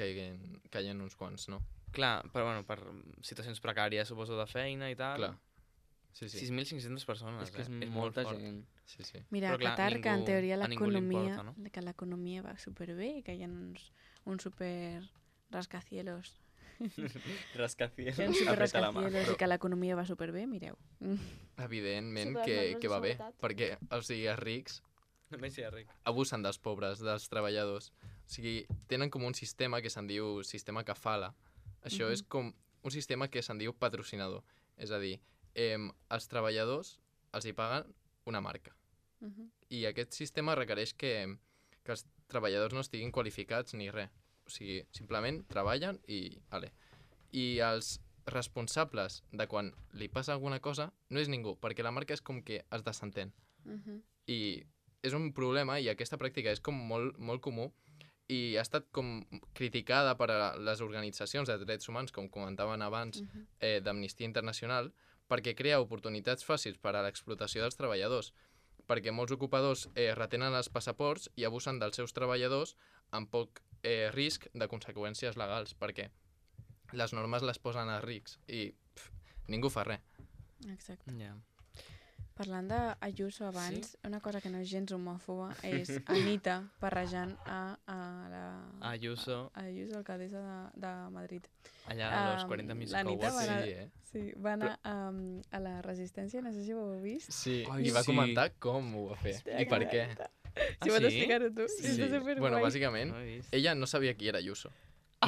caient uns quants, no? Clar, però bueno, per situacions precàries, suposo, de feina i tal. Clar. Sí, sí. 6.500 persones, És que és molt molta fort. gent. Sí, sí. Mira, Però a clar, Qatar, que en ningú- teoria a ningú li l'economia importa, no? que l'economia va superbé i que hi ha uns super rascacielos. Rascacielos. Hi ha uns super Apreta la mà. rascacielos i que l'economia va superbé, mireu. Evidentment Sí, però les que normes de va bé, seguretat. perquè, o sigui, els rics Només si és ric. abusen dels pobres, dels treballadors. O sigui, tenen com un sistema que se'n diu sistema kafala. Això és com un sistema que se'n diu patrocinador. És a dir, els treballadors els hi paguen una marca. Mhm. I aquest sistema requereix que els treballadors no estiguin qualificats ni res. O sigui, simplement treballen i... Ale. I els responsables de quan li passa alguna cosa no és ningú, perquè la marca és com que es desentén. Mhm. I és un problema i aquesta pràctica és com molt comú i ha estat com criticada per a les organitzacions de drets humans, com comentaven abans, Mhm. d'Amnistia Internacional, perquè crea oportunitats fàcils per a l'explotació dels treballadors, perquè molts ocupadors retenen els passaports i abusen dels seus treballadors amb poc risc de conseqüències legals, perquè les normes les posen als rics i ningú fa res. Exacte. Ja. Parlant d'Ayuso abans, una cosa que no és gens homòfoba és Anita barrejant a la... Ayuso, Ayuso, alcaldessa de Madrid. allà a los Um, 40 Music l'Anita Awards. va anar- Sí, Sí, va anar a la Resistència, no sé si ho heu vist. Sí, Ai, i va sí. comentar com ho va fer i per què. Si vols explicar-ho tu. Sí. Està superguai. Bueno, bàsicament, No he vist. ella no sabia qui era Ayuso.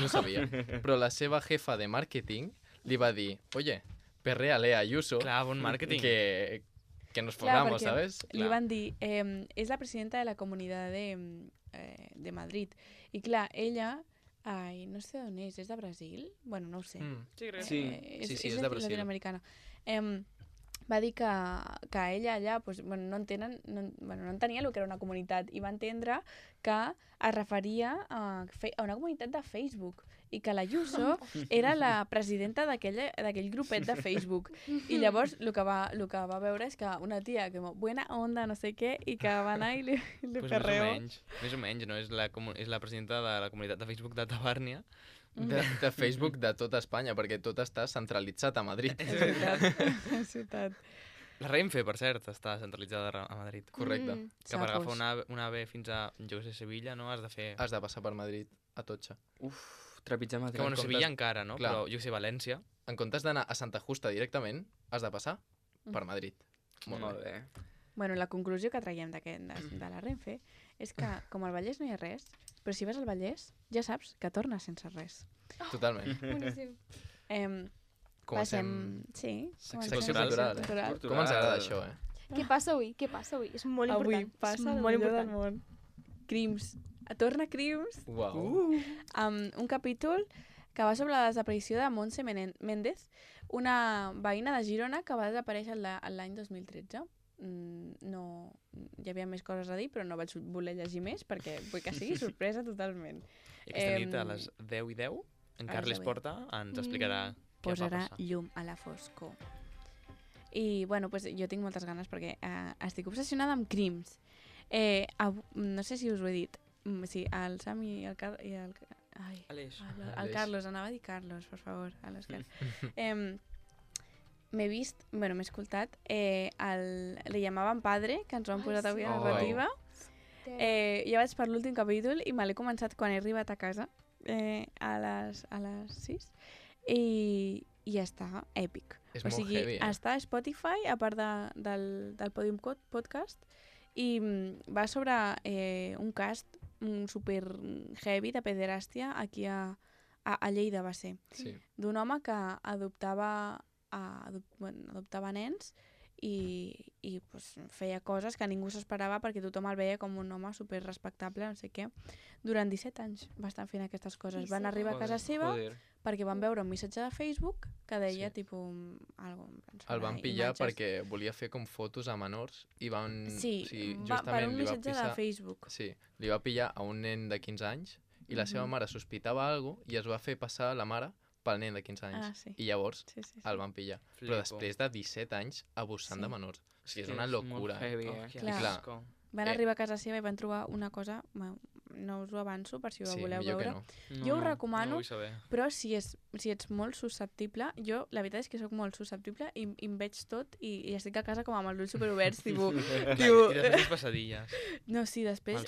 No sabia. Però la seva jefa de màrqueting li va dir, oye, perréale a Ayuso Clar, bon màrqueting. que nos Clar, formamos, perquè ¿sabes? Li van dir, és la presidenta de la comunitat de Madrid. I clar, ella, ai, no sé d'on és de Brasil? Bueno, no ho sé. Sí, crec. Sí. Sí, és de Brasil. Latinoamericana. Va dir que ella allà pues, bueno, no entenia el que era una comunitat i va entendre que es referia a una comunitat de Facebook i que la Ayuso era la presidenta d'aquell grupet de Facebook. I llavors el que va veure és que una tia que buena onda, no sé què, i que va anar i li Pues perreó. més o menys, no? És la presidenta de la comunitat de Facebook de Tabàrnia. De Facebook de tota Espanya, perquè tot està centralitzat a Madrid. És veritat, és veritat. La Renfe, per cert, està centralitzada a Madrid. Correcte. Que per agafar Sapos. una AVE fins a, jo què sé, Sevilla, no? Has de fer... Has de passar per Madrid a Totxa. Uf, trepitjar Madrid. Que bueno, comptes- Sevilla encara, no? Clar. Però jo què sé, València... En comptes d'anar a Santa Justa directament, has de passar per Madrid. Molt bé. Bueno, la conclusió que traiem de la Renfe és que, com al Vallès no hi ha res, però si vas al Vallès, ja saps que tornes sense res. Totalment. Boníssim. Comencem... Sí, Secció comencem cultural, secció cultural. Com ens agrada això, eh? Què passa avui? Què passa avui? És molt Avui important. passa és el molt millor del important. món. Crims. Torna Crims, Uau. amb un capítol que va sobre la desaparició de Montse Méndez, una veïna de Girona que va desaparèixer l'any 2013. No, hi havia més coses a dir, però no vaig voler llegir més perquè vull que sigui sorpresa totalment. I aquesta nit a les 10:10, en a les Carles 10:10. Porta ens explicarà què va Posarà passar. llum a la foscor. I, bueno, pues, jo tinc moltes ganes perquè estic obsessionada amb crims. No sé si us ho he dit. Sí, el Sam i el Carlos... Ai, Aleix. el Carlos, anava a dir Carlos, per favor, a l'Òscar. M'he vist, bueno, m'he escoltat, Le llamaven padre, que ens ho han posat avui a narrativa. Ja vaig per l'últim capítol i me l'he començat quan he arribat a casa, a les 6, i ja està, èpic. És molt heavy, està a Spotify, a part del Podium Podcast, i va sobre un cast super heavy de pederàstia aquí a Lleida, va ser. Sí. D'un home que adoptava nens i pues, feia coses que ningú s'esperava perquè tothom el veia com un home super respectable, no sé què. Durant 17 anys va estar fent aquestes coses. Van arribar a casa seva perquè van veure un missatge de Facebook que deia tipus algo. El van pillar perquè volia fer com fotos a menors i van... Sí, per un missatge de Facebook. Sí, li va pillar a un nen de 15 anys i la seva mare sospitava alguna cosa i es va fer passar la mare pel nen de 15 anys. Sí. I llavors sí. el van pillar. Però després de 17 anys abusant de menors. O sigui, és una locura. Heavy, clar. Van arribar a casa seva i van trobar una cosa... No us ho avanço per si ho voleu veure. Jo ho recomano, però si ets molt susceptible, jo la veritat és que sóc molt susceptible i em veig tot i estic a casa com amb els ulls superoberts, tipus... I després les passadilles. No, sí, després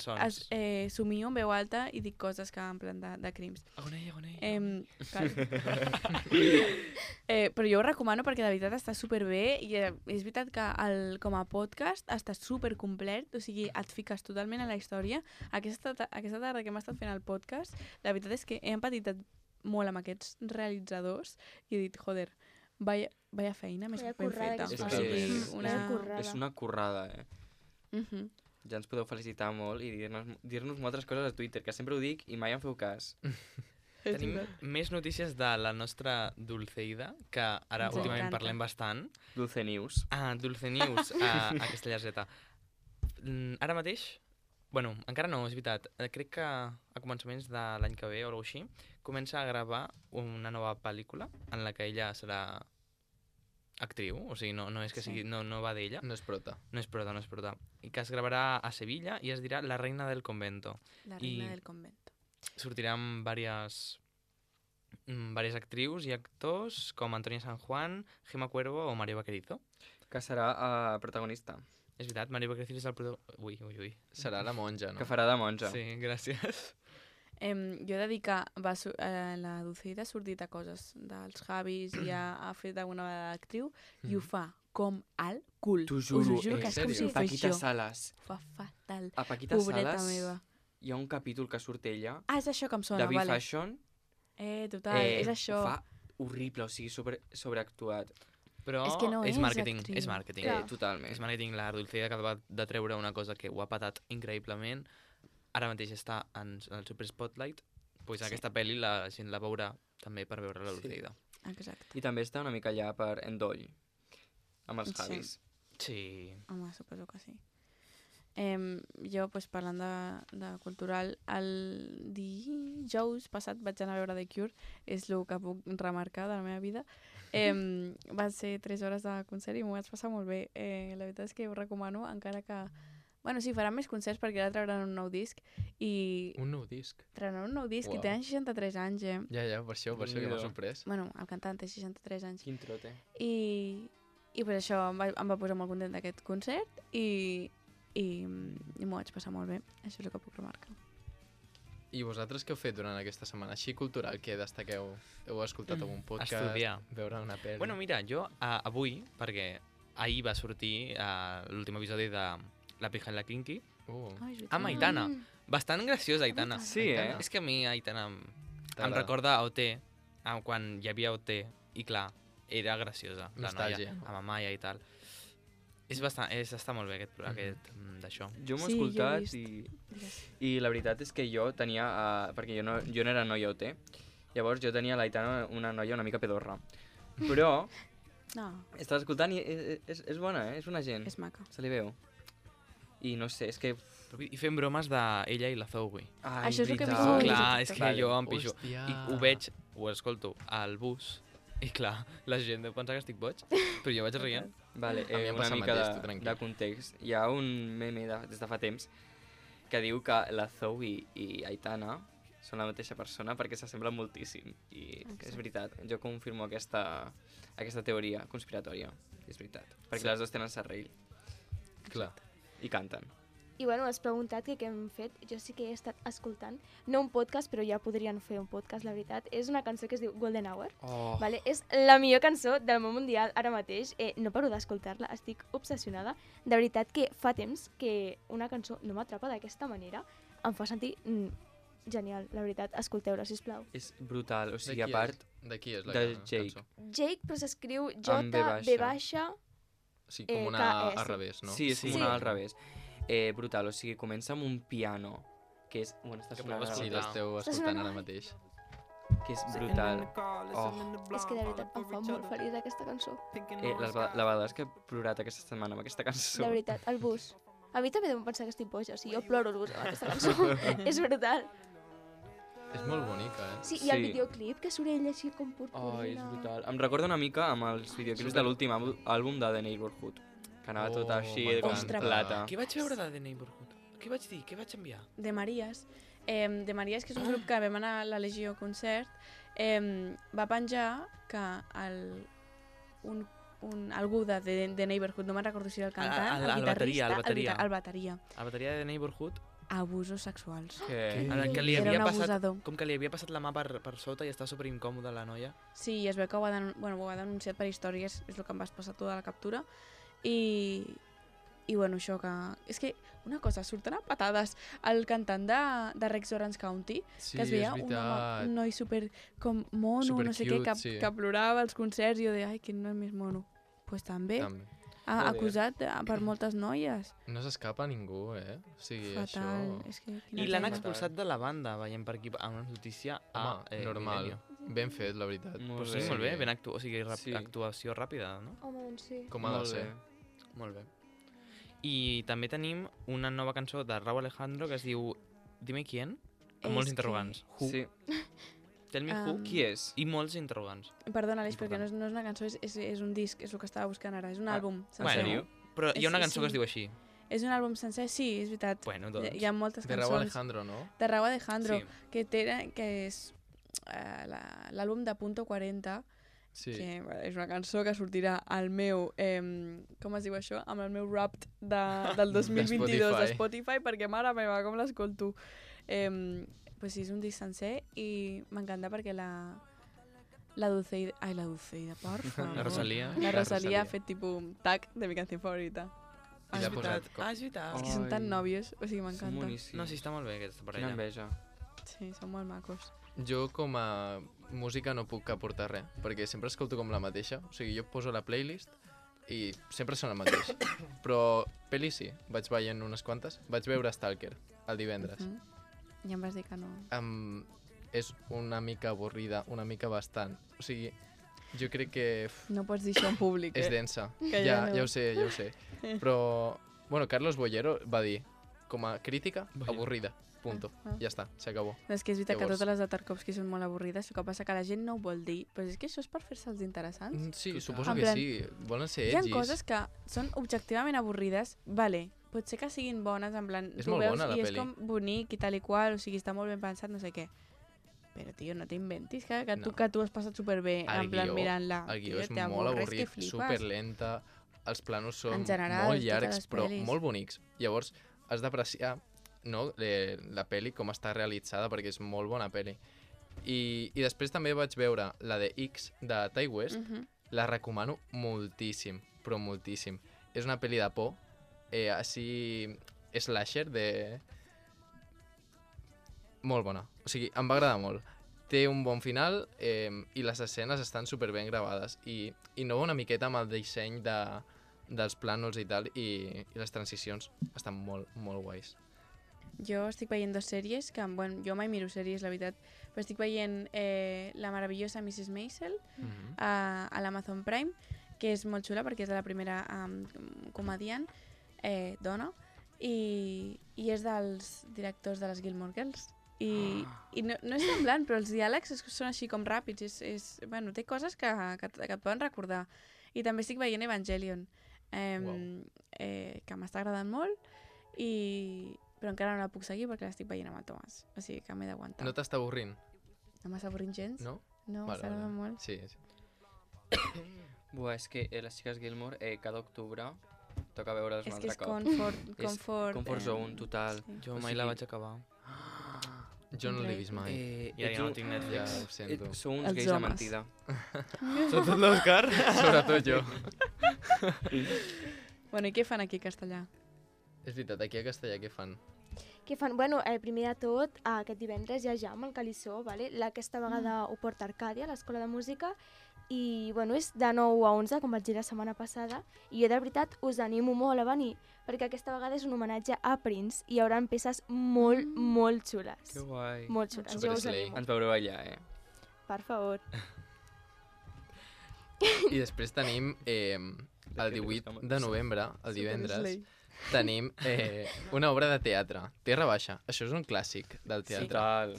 somio en veu alta i dic coses que en plan de crims. Agonei. Però jo ho recomano perquè de veritat està superbé i és veritat que com a podcast està supercomplet, o sigui, et fiques totalment a la història. Aquesta tarda que hem estat fent el podcast, la veritat és que he empatit molt amb aquests realitzadors i he dit, joder, vaya feina més ben feta. És una currada, Ja ens podeu felicitar molt i dir-nos moltes coses a Twitter, que sempre ho dic i mai em feu cas. Tenim més notícies de la nostra Dulceida, que ara últimament parlem bastant. Dulce News. Dulce News, a Castellar-Z. Ara mateix, bueno, encara no, és veritat, crec que a començaments de l'any que ve o alguna cosa així, comença a gravar una nova pel·lícula en la que ella serà actriu, o sigui, no és que sigui, no va d'ella. No és prota. No és prota. I que es gravarà a Sevilla i es dirà La reina del convento. La reina del convento. Sortiran diverses actrius i actors com Antonia San Juan, Gemma Cuervo o Mario Vaquerizo. Que serà protagonista. És veritat, Mario Vaquerizo és el protagonista... Ui. Serà la monja, no? Que farà de monja. Sí, gràcies. Jo he de dir que la Dulceida ha sortit a coses dels Javis i ha fet alguna vegada d'actriu i ho fa com al cul. T'ho juro, us ho juro que és com si ho fes Paquita jo. Salas. Fa fatal. A Paquita Pobreta Salas meva. hi ha un capítol que surt ella, És això que em sona, de vale. B-Fashion. Total, és això. Ho fa horrible, o sigui, sobreactuat. Però és que no és màrqueting, actriu. és màrqueting. Totalment. És màrqueting, la Dulceida que acaba de treure una cosa que ho ha patat increïblement. Ara mateix està en el Super Spotlight, doncs aquesta pel·li la gent la veurà també per veure la Dulceida. Exacte. I també està una mica allà per Endoll, amb els Javis. Sí. Home, suposo que sí. Jo, parlant de cultural, el dijous passat vaig anar a veure The Cure, és el que puc remarcar de la meva vida. Va ser 3 hores de concert i m'ho vaig passar molt bé. La veritat és que ho recomano, encara que... Bueno, sí, faran més concerts perquè ara trauran un nou disc i... Un nou disc? Trauran un nou disc i tenen 63 anys, Ja, per això que m'ha sorprès. Bueno, el cantant té 63 anys. Quin trote. I per això em va posar molt content d'aquest concert i m'ho vaig passar molt bé. Això és el que puc remarcar. I vosaltres què heu fet durant aquesta setmana? Així cultural, què destaqueu? Heu escoltat algun podcast? Estudiar. Veure una pel·li? Bueno, mira, jo avui, perquè ahir va sortir l'últim episodi de La pija en la Kinky, amb Aitana. Bastant graciosa, Aitana. Sí, És que a mi Aitana em recorda a OT, quan hi havia OT, i clar, era graciosa, la noia, amb Amaya i tal. Està molt bé aquest d'això. Jo m'ho he escoltat i la veritat és que jo tenia, perquè jo no era noia OT, llavors jo tenia l'Aitana una noia una mica pedorra. Però estava escoltant i és bona, és una gent. És maca. Se li veu. I no sé, és que... I fem bromes d'ella i la Zoe. Això és el que he veritat. vist. Clar, és que jo em pixo. Hòstia. I ho veig, ho escolto al bus, i clar, la gent deu pensar que estic boig, però jo vaig rient. Vale, A mi em una passa el mica mateix, tu tranquil. de context. Hi ha un meme des de fa temps que diu que la Zoe i Aitana són la mateixa persona perquè s'assemblen moltíssim. I és veritat, jo confirmo aquesta teoria conspiratòria. És veritat, perquè les dues tenen serrell. Clar. I canten. I bueno, has preguntat què hem fet. Jo sí que he estat escoltant, no un podcast, però ja podrien fer un podcast, la veritat. És una cançó que es diu Golden Hour. Oh. Vale? És la millor cançó del món mundial ara mateix. No paro d'escoltar-la, estic obsessionada. De veritat que fa temps que una cançó no m'atrapa d'aquesta manera. Em fa sentir genial, la veritat. Escolteu-la, sisplau. És brutal, o sigui, a part... De qui és la de Jake. cançó? Jake, però s'escriu Amb V J-B-. Sí, com una KS. al revés, no? Sí, és com Sí. una al revés. Brutal, o sigui, comença amb un piano, que és... Bueno, està Que sonant podeu ara Sí, escoltar. l'esteu Està escoltant sonant ara mateix. que és brutal. Oh. És que de veritat em fa molt feliç aquesta cançó. La vegada que he plorat aquesta setmana amb aquesta cançó. De veritat, el bus. A mi també deuen pensar que estic boja, o sigui, jo ploro al bus amb aquesta cançó. És brutal. És molt bonica, Sí, i el Sí. videoclip, que surt ell així com Oh, purpurina. és brutal. Em recorda una mica amb els videoclips de l'últim àlbum de The Neighborhood, que anava tot així m'encanta. com Ostres. plata. Què vaig veure de The Neighborhood? Què vaig dir? Què vaig enviar? De Maries. De Maries, que és un grup que vam anar a la Legió concert, va penjar que algú de The Neighborhood, no me'n recordo si era el cantant, El bateria, el bateria. el bateria, A la bateria de The Neighborhood, abusos sexuals. Que... que li Era havia un passat, abusador. com que li havia passat la mà per sota i estava superincòmoda la noia. Sí, i es veu que ho ha denunciat per històries, és el que em vas passar tu de la captura. I bueno, això que... És que una cosa, surten a patades el cantant de Rex Orange County, Sí, que es veia és un, veritat. un noi super com mono, Super no sé cute, què, sí. que plorava als concerts i jo de, ai, que no és més mono. Pues també, També. ha Joder. acusat per moltes noies. No s'escapa ningú, eh? O sigui, Fatal. això... És que, I l'han pena. expulsat de la banda, veiem per aquí a una notícia a Home, normal. Milenio. Ben fet, la veritat. Molt Pues sí, bé. molt bé, o sigui, Sí. actuació ràpida, no? Home, doncs sí. Com ha de Molt ser. bé. Molt bé. I també tenim una nova cançó de Rauw Alejandro que es diu Dime quién, amb molts És interrogants. Who? Sí. Tell me who. Qui és? I molts interrogants. Perdona, Aleix, perquè no és una cançó, és un disc, és el que estava buscant ara, és un àlbum sencer. Bueno, però hi ha una cançó que es Sí. diu així. És un àlbum sencer, sí, és veritat. Bueno, doncs. Hi ha moltes De cançons. Rauw Alejandro, no? De Rauw Alejandro, Sí. que és l'àlbum de Punto 40, Sí. que és una cançó que sortirà al meu, com es diu això? Amb el meu Wrapped del 2022 de Spotify, perquè mare meva, com l'escolto. Pues sí, és un disc sencer i m'encanta perquè la Dulceida... Ai, la Dulceida, por favor. La Rosalía. La La Rosalía ha Rosalía. fet tipus un tag de mi canción favorita. I l'ha posat... És veritat. És que són tan Ai, nòvios, o sigui, Són m'encanta. boníssims. No, sí, està molt bé aquesta Quina parella. enveja. Sí, són molt macos. Jo com a música no puc aportar res, perquè sempre escolto com la mateixa. O sigui, jo poso la playlist i sempre són el mateix. Però pel·li sí, vaig veient unes quantes. Vaig veure Stalker el divendres. I em vas dir que no. És una mica avorrida, una mica bastant. O sigui, jo crec que No pots dir això en públic, és densa. Que Ja, no. ja ho sé, ja ho sé. Però, bueno, Carlos Bollero va dir, com a crítica, avorrida. Punto. Ja està, s'acabó. És que és veritat que Llavors- totes les de Tarkovsky són molt avorrides, el que passa que la gent no ho vol dir, però és que això és per fer-se'ls interessants. Sí, Total. suposo En que plan, sí. Volen ser Hi ha edgis. coses que són objectivament avorrides, vale, pot ser que siguin bones, en plan, És tu molt veus bona, la i és peli. com bonic i tal i qual, o sigui, està molt ben pensat, no sé què. Però, tio, no t'inventis No. que tu has passat superbé, El en plan, guió- mirant-la. El guió Tio, és molt t'avorres que avorrit, flipes. superlenta, els planos són En general, molt totes llargs, les però pel·lis. molt bonics. Llavors, has d'apreciar no, la pel·li com està realitzada, perquè és molt bona pel·li. I després també vaig veure la de X, de Ty West, la recomano moltíssim, però moltíssim. És una pel·li de por, així slasher, molt bona. O sigui, em va agradar molt. Té un bon final i les escenes estan superben gravades. I innova una miqueta amb el disseny dels plànols i tal, i les transicions estan molt, molt guais. Jo estic veient dues sèries, que bueno, jo mai miro sèries, la veritat, però estic veient La meravellosa Mrs. Maisel a l'Amazon Prime, que és molt xula perquè és de la primera comediant dona i és dels directors de les Gilmore Girls. I no és semblant, però els diàlegs són així com ràpids. Bueno, té coses que et poden recordar. I també estic veient Evangelion, que m'està agradant molt. però encara no la puc seguir perquè l'estic veient amb el Tomàs. O sigui que m'he d'aguantar. No t'està avorrint? No m'està avorrint gens? No? No, Vale, m'agrada vale. molt. Sí. Buah, és que les xiques Gilmore, cada octubre toca veure'ls un És que altre és cop. confort zone, total. Sí. Jo O mai la vaig acabar. Jo no l'he vist mai. I ara ja no tinc Ja Netflix. ho sento. Sou uns Els gais de homes. mentida. Sobretot l'Òscar. Sobretot jo. Bueno, i què fan aquí a Castellà? És veritat, aquí a Castellà què fan? Què fan? Bueno, primer de tot, aquest divendres hi ha Jam, al Calissó, vale? Aquesta vegada ho porta Arcàdia, l'Escola de Música, i bueno, és de 9 a 11, com vaig dir la setmana passada, i jo de veritat us animo molt a venir, perquè aquesta vegada és un homenatge a Prince, i hi haurà peces molt, molt xules. Que guai. Molt xules, Super jo us slay. animo. Ens veureu allà, Per favor. I després tenim el 18 de novembre, el divendres, tenim una obra de teatre, Terra Baixa. Això és un clàssic del teatre. Total.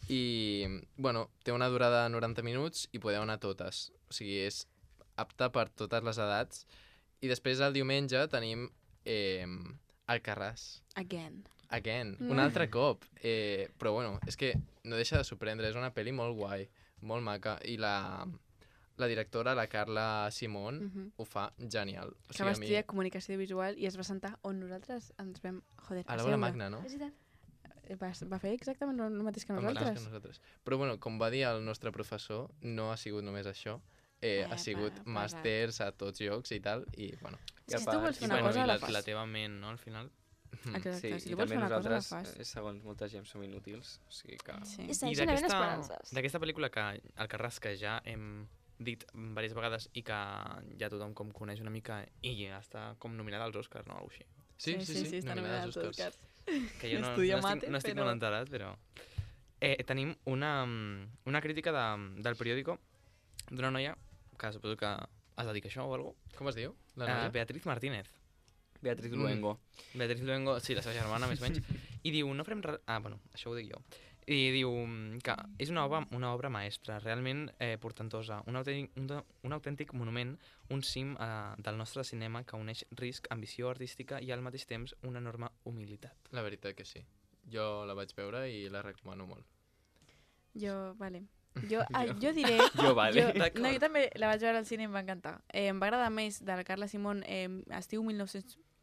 I, bueno, té una durada de 90 minuts i podeu anar totes. O sigui, és apta per totes les edats. I després el diumenge tenim Alcarràs. Again. Un altre cop. Però bueno, és que no deixa de sorprendre. És una pel·li molt guai, molt maca. I la directora, la Carla Simón, ho fa genial. O Que va estudiar comunicació visual i es va sentar on nosaltres ens vam... Joder, a l'Aula Magna, no? És veritat. Va fer exactament el mateix que El mateix nosaltres. que nosaltres. Però bueno, com va dir el nostre professor, no ha sigut només això. Ha sigut màsters a tots llocs i tal, i bueno. Si tu vols fer I una bueno, cosa, i la fas. la teva ment, no, al final. Exacte, si i tu vols també fer una cosa, la nosaltres, fas. segons molta gent, som inútils. O sigui que... Sí. I segueixen havent esperances. d'aquesta pel·lícula que Alcarràs, que ja hem dit diverses vegades i que ja tothom com coneix una mica i ja està com nominada als Oscars, no? Algo així. Sí, està nominada nominada als als Oscars. Que jo Estudia no mate, estic però- molt enterat, però... tenim una crítica del periòdico d'una noia que suposo que es dedica a això o alguna cosa. Com es diu? La noia? Beatriz Martínez. Beatriz Luengo. Beatriz Luengo, sí, la seva germana, més o menys. I diu, no farem res... Ah, bueno, això ho dic jo. I diu que és una obra maestra, realment portentosa, un autèntic monument, un cim del nostre cinema que uneix risc, ambició artística i al mateix temps una enorme humilitat. La veritat que sí. Jo la vaig veure i la recomano molt. Vale. Jo diré... Jo, vale. No, jo també la vaig veure al cine i em va encantar. Em va agradar més de la Carla Simón, estiu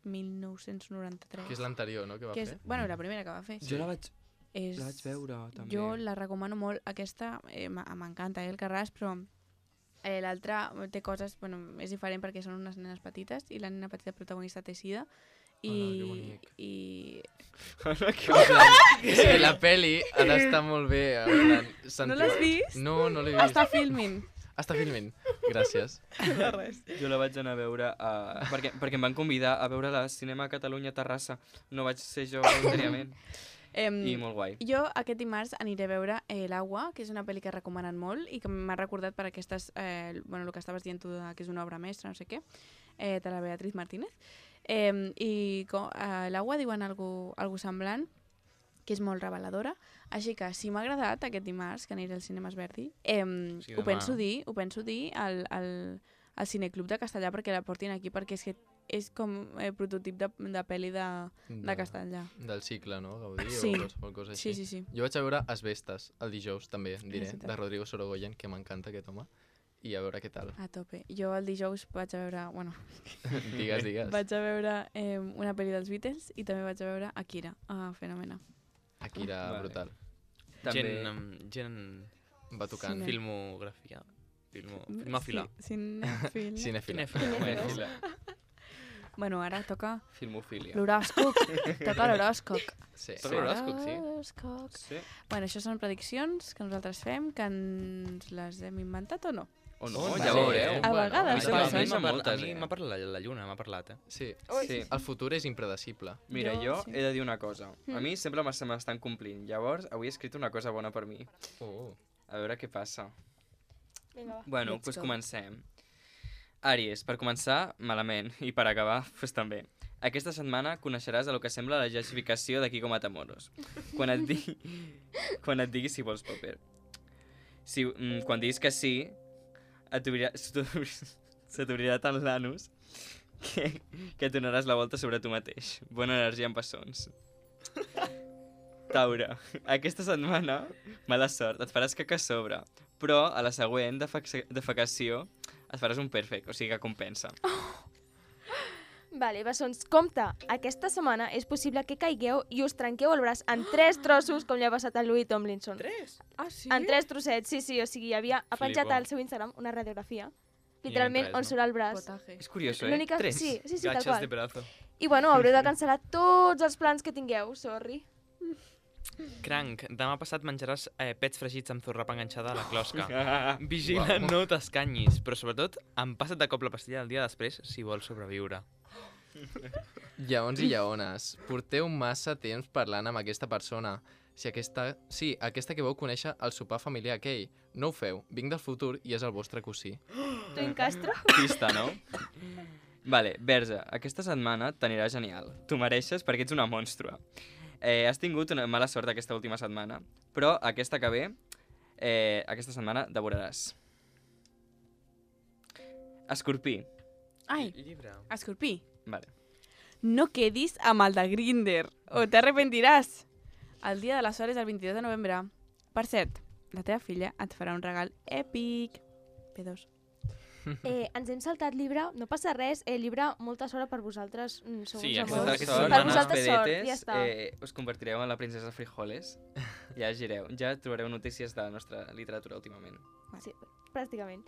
1993. Que és l'anterior, no?, que va que és, fer. bueno, la primera que va fer. Jo la vaig És, veure, també. Jo la recomano molt. Aquesta m'encanta, el Carràs, però l'altra té coses... Bueno, és diferent perquè són unes nenes petites i la nena petita protagonista té sida. que bonic. I... És que la peli ha d'estar molt bé. No l'has vist? No, no l'he vist. Està filming. Està filming. Gràcies. De res. Jo la vaig anar a veure perquè em van convidar a veure la Cinema Catalunya a Terrassa. No vaig ser jo voluntàriament. I molt guai. Jo aquest dimarts aniré a veure L'Agua, que és una pel·li que recomanen molt i que m'ha recordat per aquestes... bueno, el que estaves dient tu, que és una obra mestra, no sé què, de la Beatriz Martínez. I L'Agua diuen algo semblant, que és molt reveladora. Així que, si m'ha agradat aquest dimarts, que aniré al Cinema Esverdi, Sí, ho penso dir al Cineclub de Castellà perquè la portin aquí, perquè és que és com prototip de pel·li de Castellà. Del cicle, no? Gaudí Sí. o qualsevol cosa així. Sí. Jo vaig a veure Asbestes el dijous, també, diré, veritat. de Rodrigo Sorogoyen, que m'encanta aquest home, i a veure què tal. A tope. Jo el dijous vaig a veure... Bueno, Digues. vaig a veure una pel·li dels Beatles i també vaig a veure Akira, a Fenòmena. Akira, Vale. brutal. També... Gent Va tocant. Cine. filmografia. Filmòfila. Sí, cinèfil. Cinèfila. Cinèfila. Bueno, ara toca Filmofília. l'horòscop. Toca l'horòscop. Sí. Toca l'horòscop, sí. L'horòscop. Sí. Bueno, això són prediccions que nosaltres fem, que ens les hem inventat o no? O no, Oh, ja sí. ho veureu. A vegades Bueno, passa. a mi moltes, A mi m'ha parlat la lluna, m'ha parlat, Sí. Sí. El futur és impredecible. Mira, Jo, jo sí. he de dir una cosa. A mi sempre se m'estan complint. Llavors, avui he escrit una cosa bona per mi. Oh. A veure què passa. Vinga, va. Bueno, Let's doncs go. comencem. Àries, per començar, malament. I per acabar, doncs també. Aquesta setmana coneixeràs el que sembla la gessificació de Kiko Matamoros. Quan et digui si vols paper. Quan diguis que sí, se t'obrirà tant l'anus que et donaràs la volta sobre tu mateix. Bona energia en bessons. Taure, aquesta setmana, mala sort, et faràs caca a sobre, però a la següent defecació et faràs un perfect, o sigui que compensa. Vale, bessons, compte, aquesta setmana és possible que caigueu i us trenqueu el braç en 3 trossos, com li ha passat a Louis Tomlinson. 3? Ah, sí? En 3 trossets, sí, o sigui, ha penjat Flipo. al seu Instagram una radiografia, literalment, res, on no? surt el braç. Potaje. És curiós, L'única... 3. Sí, tal Gachas de qual. brazo. I bueno, haureu de cancel·lar tots els plans que tingueu, sorry. Cranc, demà passat menjaràs pets fregits amb zorrapa enganxada a la closca. Vigila, no t'escanyis, però sobretot empassa't de cop la pastilla el dia després si vols sobreviure. Lleons i lleones, porteu massa temps parlant amb aquesta persona. Aquesta que vau conèixer al sopar familiar aquell. No ho feu, vinc del futur i és el vostre cosí. Twin Castro? Pista, no? Vale, Verge, aquesta setmana t'anirà genial. T'ho mereixes perquè ets una monstra. Has tingut una mala sort aquesta última setmana, però aquesta que ve, aquesta setmana devoraràs. Escorpí. Ai, Llibre. Escorpí, Vale. no quedis amb el de Grindr o t'arrepentiràs. El dia de les hores el 22 de novembre. Per cert, la teva filla et farà un regal èpic. P2. Ens hem saltat llibre, no passa res, llibre, molta sort per vosaltres, sou Sí, uns aquesta amors. setmana- Per setmana, vosaltres sort, pedetes, ja està. us convertireu en la princesa Frijoles. Ja gireu, ja trobareu notícies de la nostra literatura últimament. Sí, pràcticament.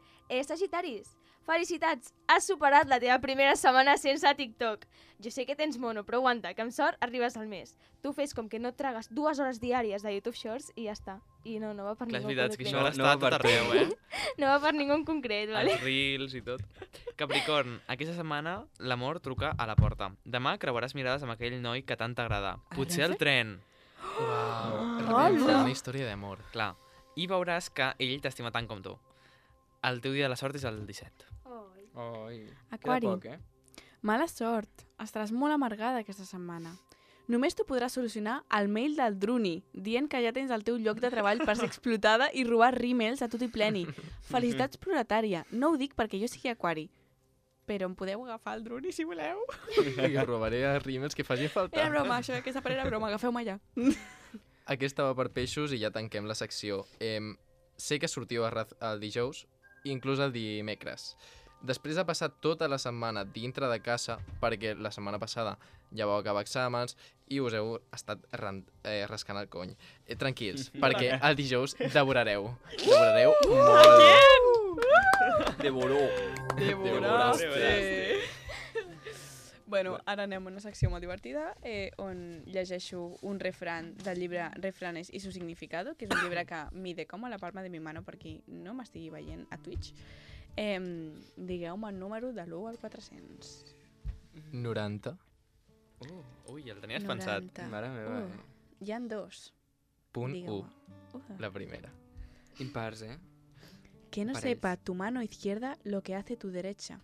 Sagitaris, felicitats! Has superat la teva primera setmana sense TikTok. Jo sé que tens mono, però aguanta, que amb sort arribes al mes. Tu fes com que no et tragues 2 hores diàries de YouTube Shorts i ja està. I no va per Clar, és ningú veritat, que concret. això ara No, està no a tot per arreu, eh? No va per ningú en concret, vale? Els reels i tot. Capricorn, aquesta setmana l'amor truca a la porta. Demà creuaràs mirades amb aquell noi que tant t'agrada. Potser al tren. Uau, una història d'amor. Clar. I veuràs que ell t'estima tant com tu. El teu dia de la sort és el 17. Oi, Aquari. queda poc, Mala sort. Estaràs molt amargada aquesta setmana. Només t'ho podràs solucionar al mail del Druni, dient que ja tens el teu lloc de treball per ser explotada i robar rímels a tot i pleni. Felicitats proletària. No ho dic perquè jo sigui aquari, però em podeu agafar el Druni si voleu. I robaré a rímels que facin Era falta. broma, això, aquesta part era broma, agafeu-me ja. Aquesta va per peixos i ja tanquem la secció. Sé que sortiu el dijous, inclús el dimecres. Després de passar tota la setmana dintre de casa, perquè la setmana passada ja vau acabar exàmens i us heu estat rascant el cony. Tranquils, perquè el dijous devorareu. Devorareu molt. Devoró. Devoraste. Bueno, ara anem a una secció molt divertida on llegeixo un refrán del llibre Refranes y su significado, que és un llibre que mide com a la palma de mi mano per qui no m'estigui veient a Twitch. Digueu-me el número de l'1 al 400. 90. Ui, el tenies pensat. 90. Mare meva, Hi han dos. Punt 1. Digueu-me. La primera. Impars, Que no Parells. sepa tu mano izquierda lo que hace tu derecha.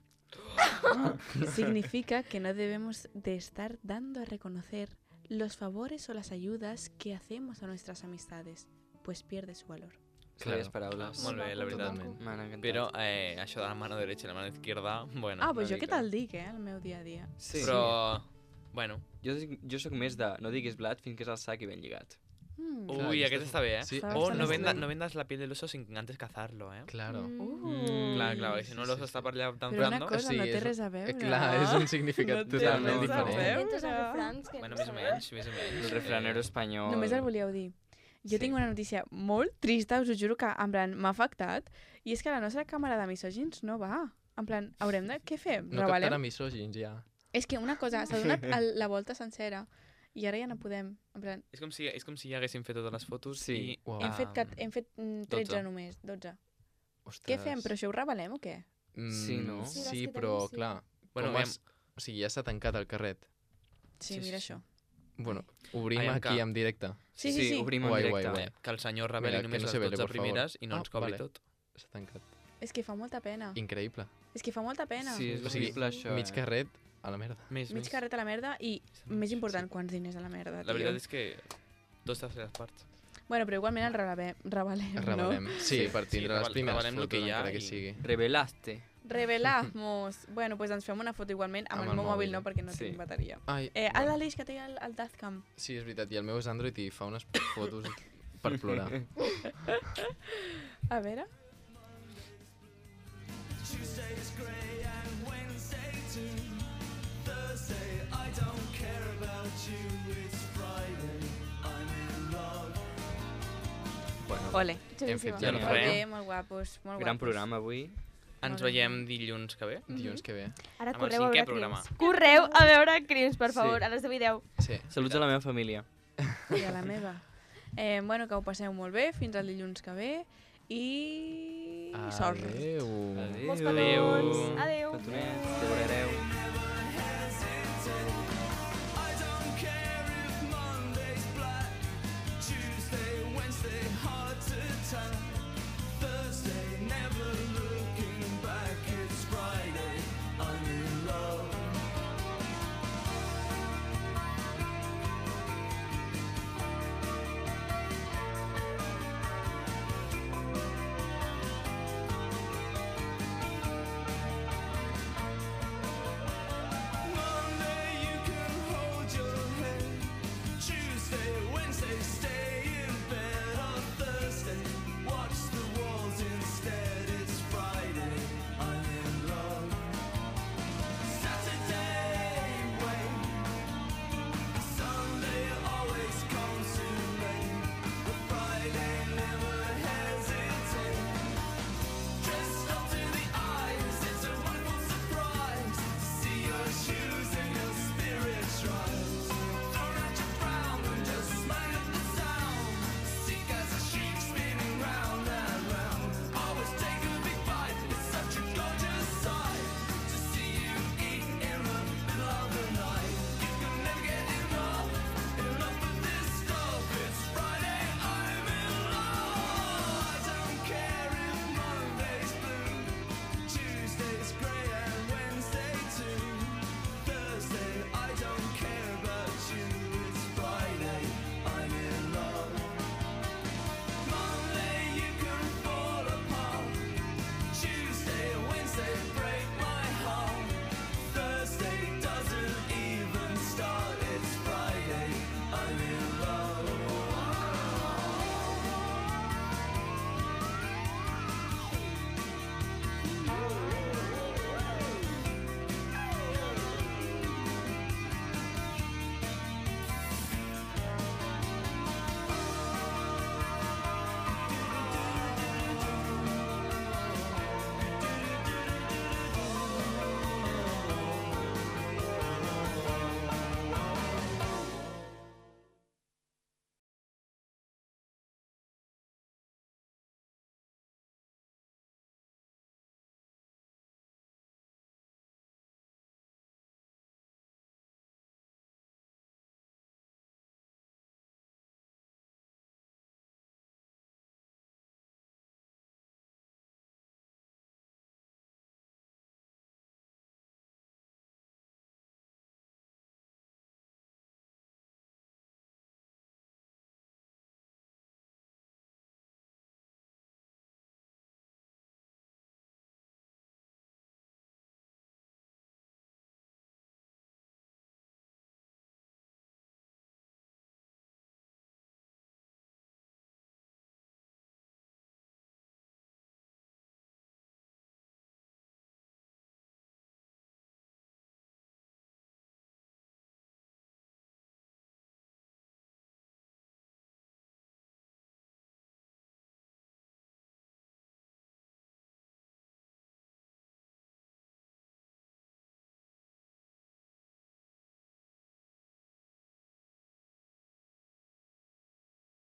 Significa que no debemos de estar dando a reconocer los favores o las ayudas que hacemos a nuestras amistades, pues pierde su valor. Claves Claro. paraules. Molt bé, la veritat. Totalment. M'han encantat. Però això de la mano derecha i la mano izquierda, bueno. Ah, pues una jo què mica. tal dic, el meu dia a dia. Sí. Però, bueno. Jo sóc més de no diguis blat fins que és al sac i ben lligat. Clar, Ui, aquesta aquest està bé, eh? Sí, Està O bastant no, estrany. no vendas la piel del oso sin antes cazarlo, eh? Claro. Clar, perquè si no l'oso està per allà Però una templando... cosa Sí, no té és- res a veure. Clar, és un significat No té totalment res a diferent. veure. Inventes els refrans que Bueno, no més o menys, més o menys. El refranero espanyol. Només el volíeu dir. Jo Sí. tinc una notícia molt trista, us ho juro que en plan m'ha afectat, i és que la nostra càmera de misògins no va. En plan, haurem de... Què fem? No Revelem? captarà misògins, ja. És que una cosa, s'ha donat la volta sencera i ara ja no podem. En plan, És com si ja haguéssim fet totes les fotos Sí. i... Uau. hem fet 13 12. només, 12. Ostres. Què fem? Però això ho revelem o què? Sí, no? Sí, les Sí, que però, tenim, sí. clar, Bueno, com o sigui, ja s'ha tancat el carret. Sí, Sí, mira sí. això. Bueno, obrim Aviam aquí que- en directe. Sí. obrim en Guai, directe. guai, guai. Que el senyor reveli Mira, que només no les se vele, 12 por favor. primeres i no ens cobri vale. tot. S'ha tancat. És que fa molta pena. Increïble. És que fa molta pena. Sí, és O sigui, horrible això, mig carret a la merda. Més, Mig carret a la merda i, més important, quants diners a la merda, La veritat tio. és que 2/3 parts. Bueno, però igualment el revelem, Revelem. no? Sí, per tindre les revelem primeres el que fotos, hi ha encara que i- sigui. Revelaste. Revelamos. Bueno, pues ens fem una foto igualment. Amb el meu mòbil no, perquè no Sí. tinc bateria. Ai, L'Aleix, que té el Dazcam. sí, és veritat, i el meu és Android i fa unes fotos per plorar. A veure. Bueno, Ole. Hem fet Ja ja no el farem. Ole, molt guapos, molt gran guapos. programa avui. Ens veiem dilluns que ve. dilluns que ve. Ara Amb el correu a cinquè veure programa. Crims. Correu a veure Crims, per Sí. favor, a les 10:10. Sí. Saluts a la meva família. I a la meva. Bueno, que ho passeu molt bé, fins al dilluns que ve. I... sort. Adéu. Molts Adéu. petons. Adéu. Petonets, que veureu.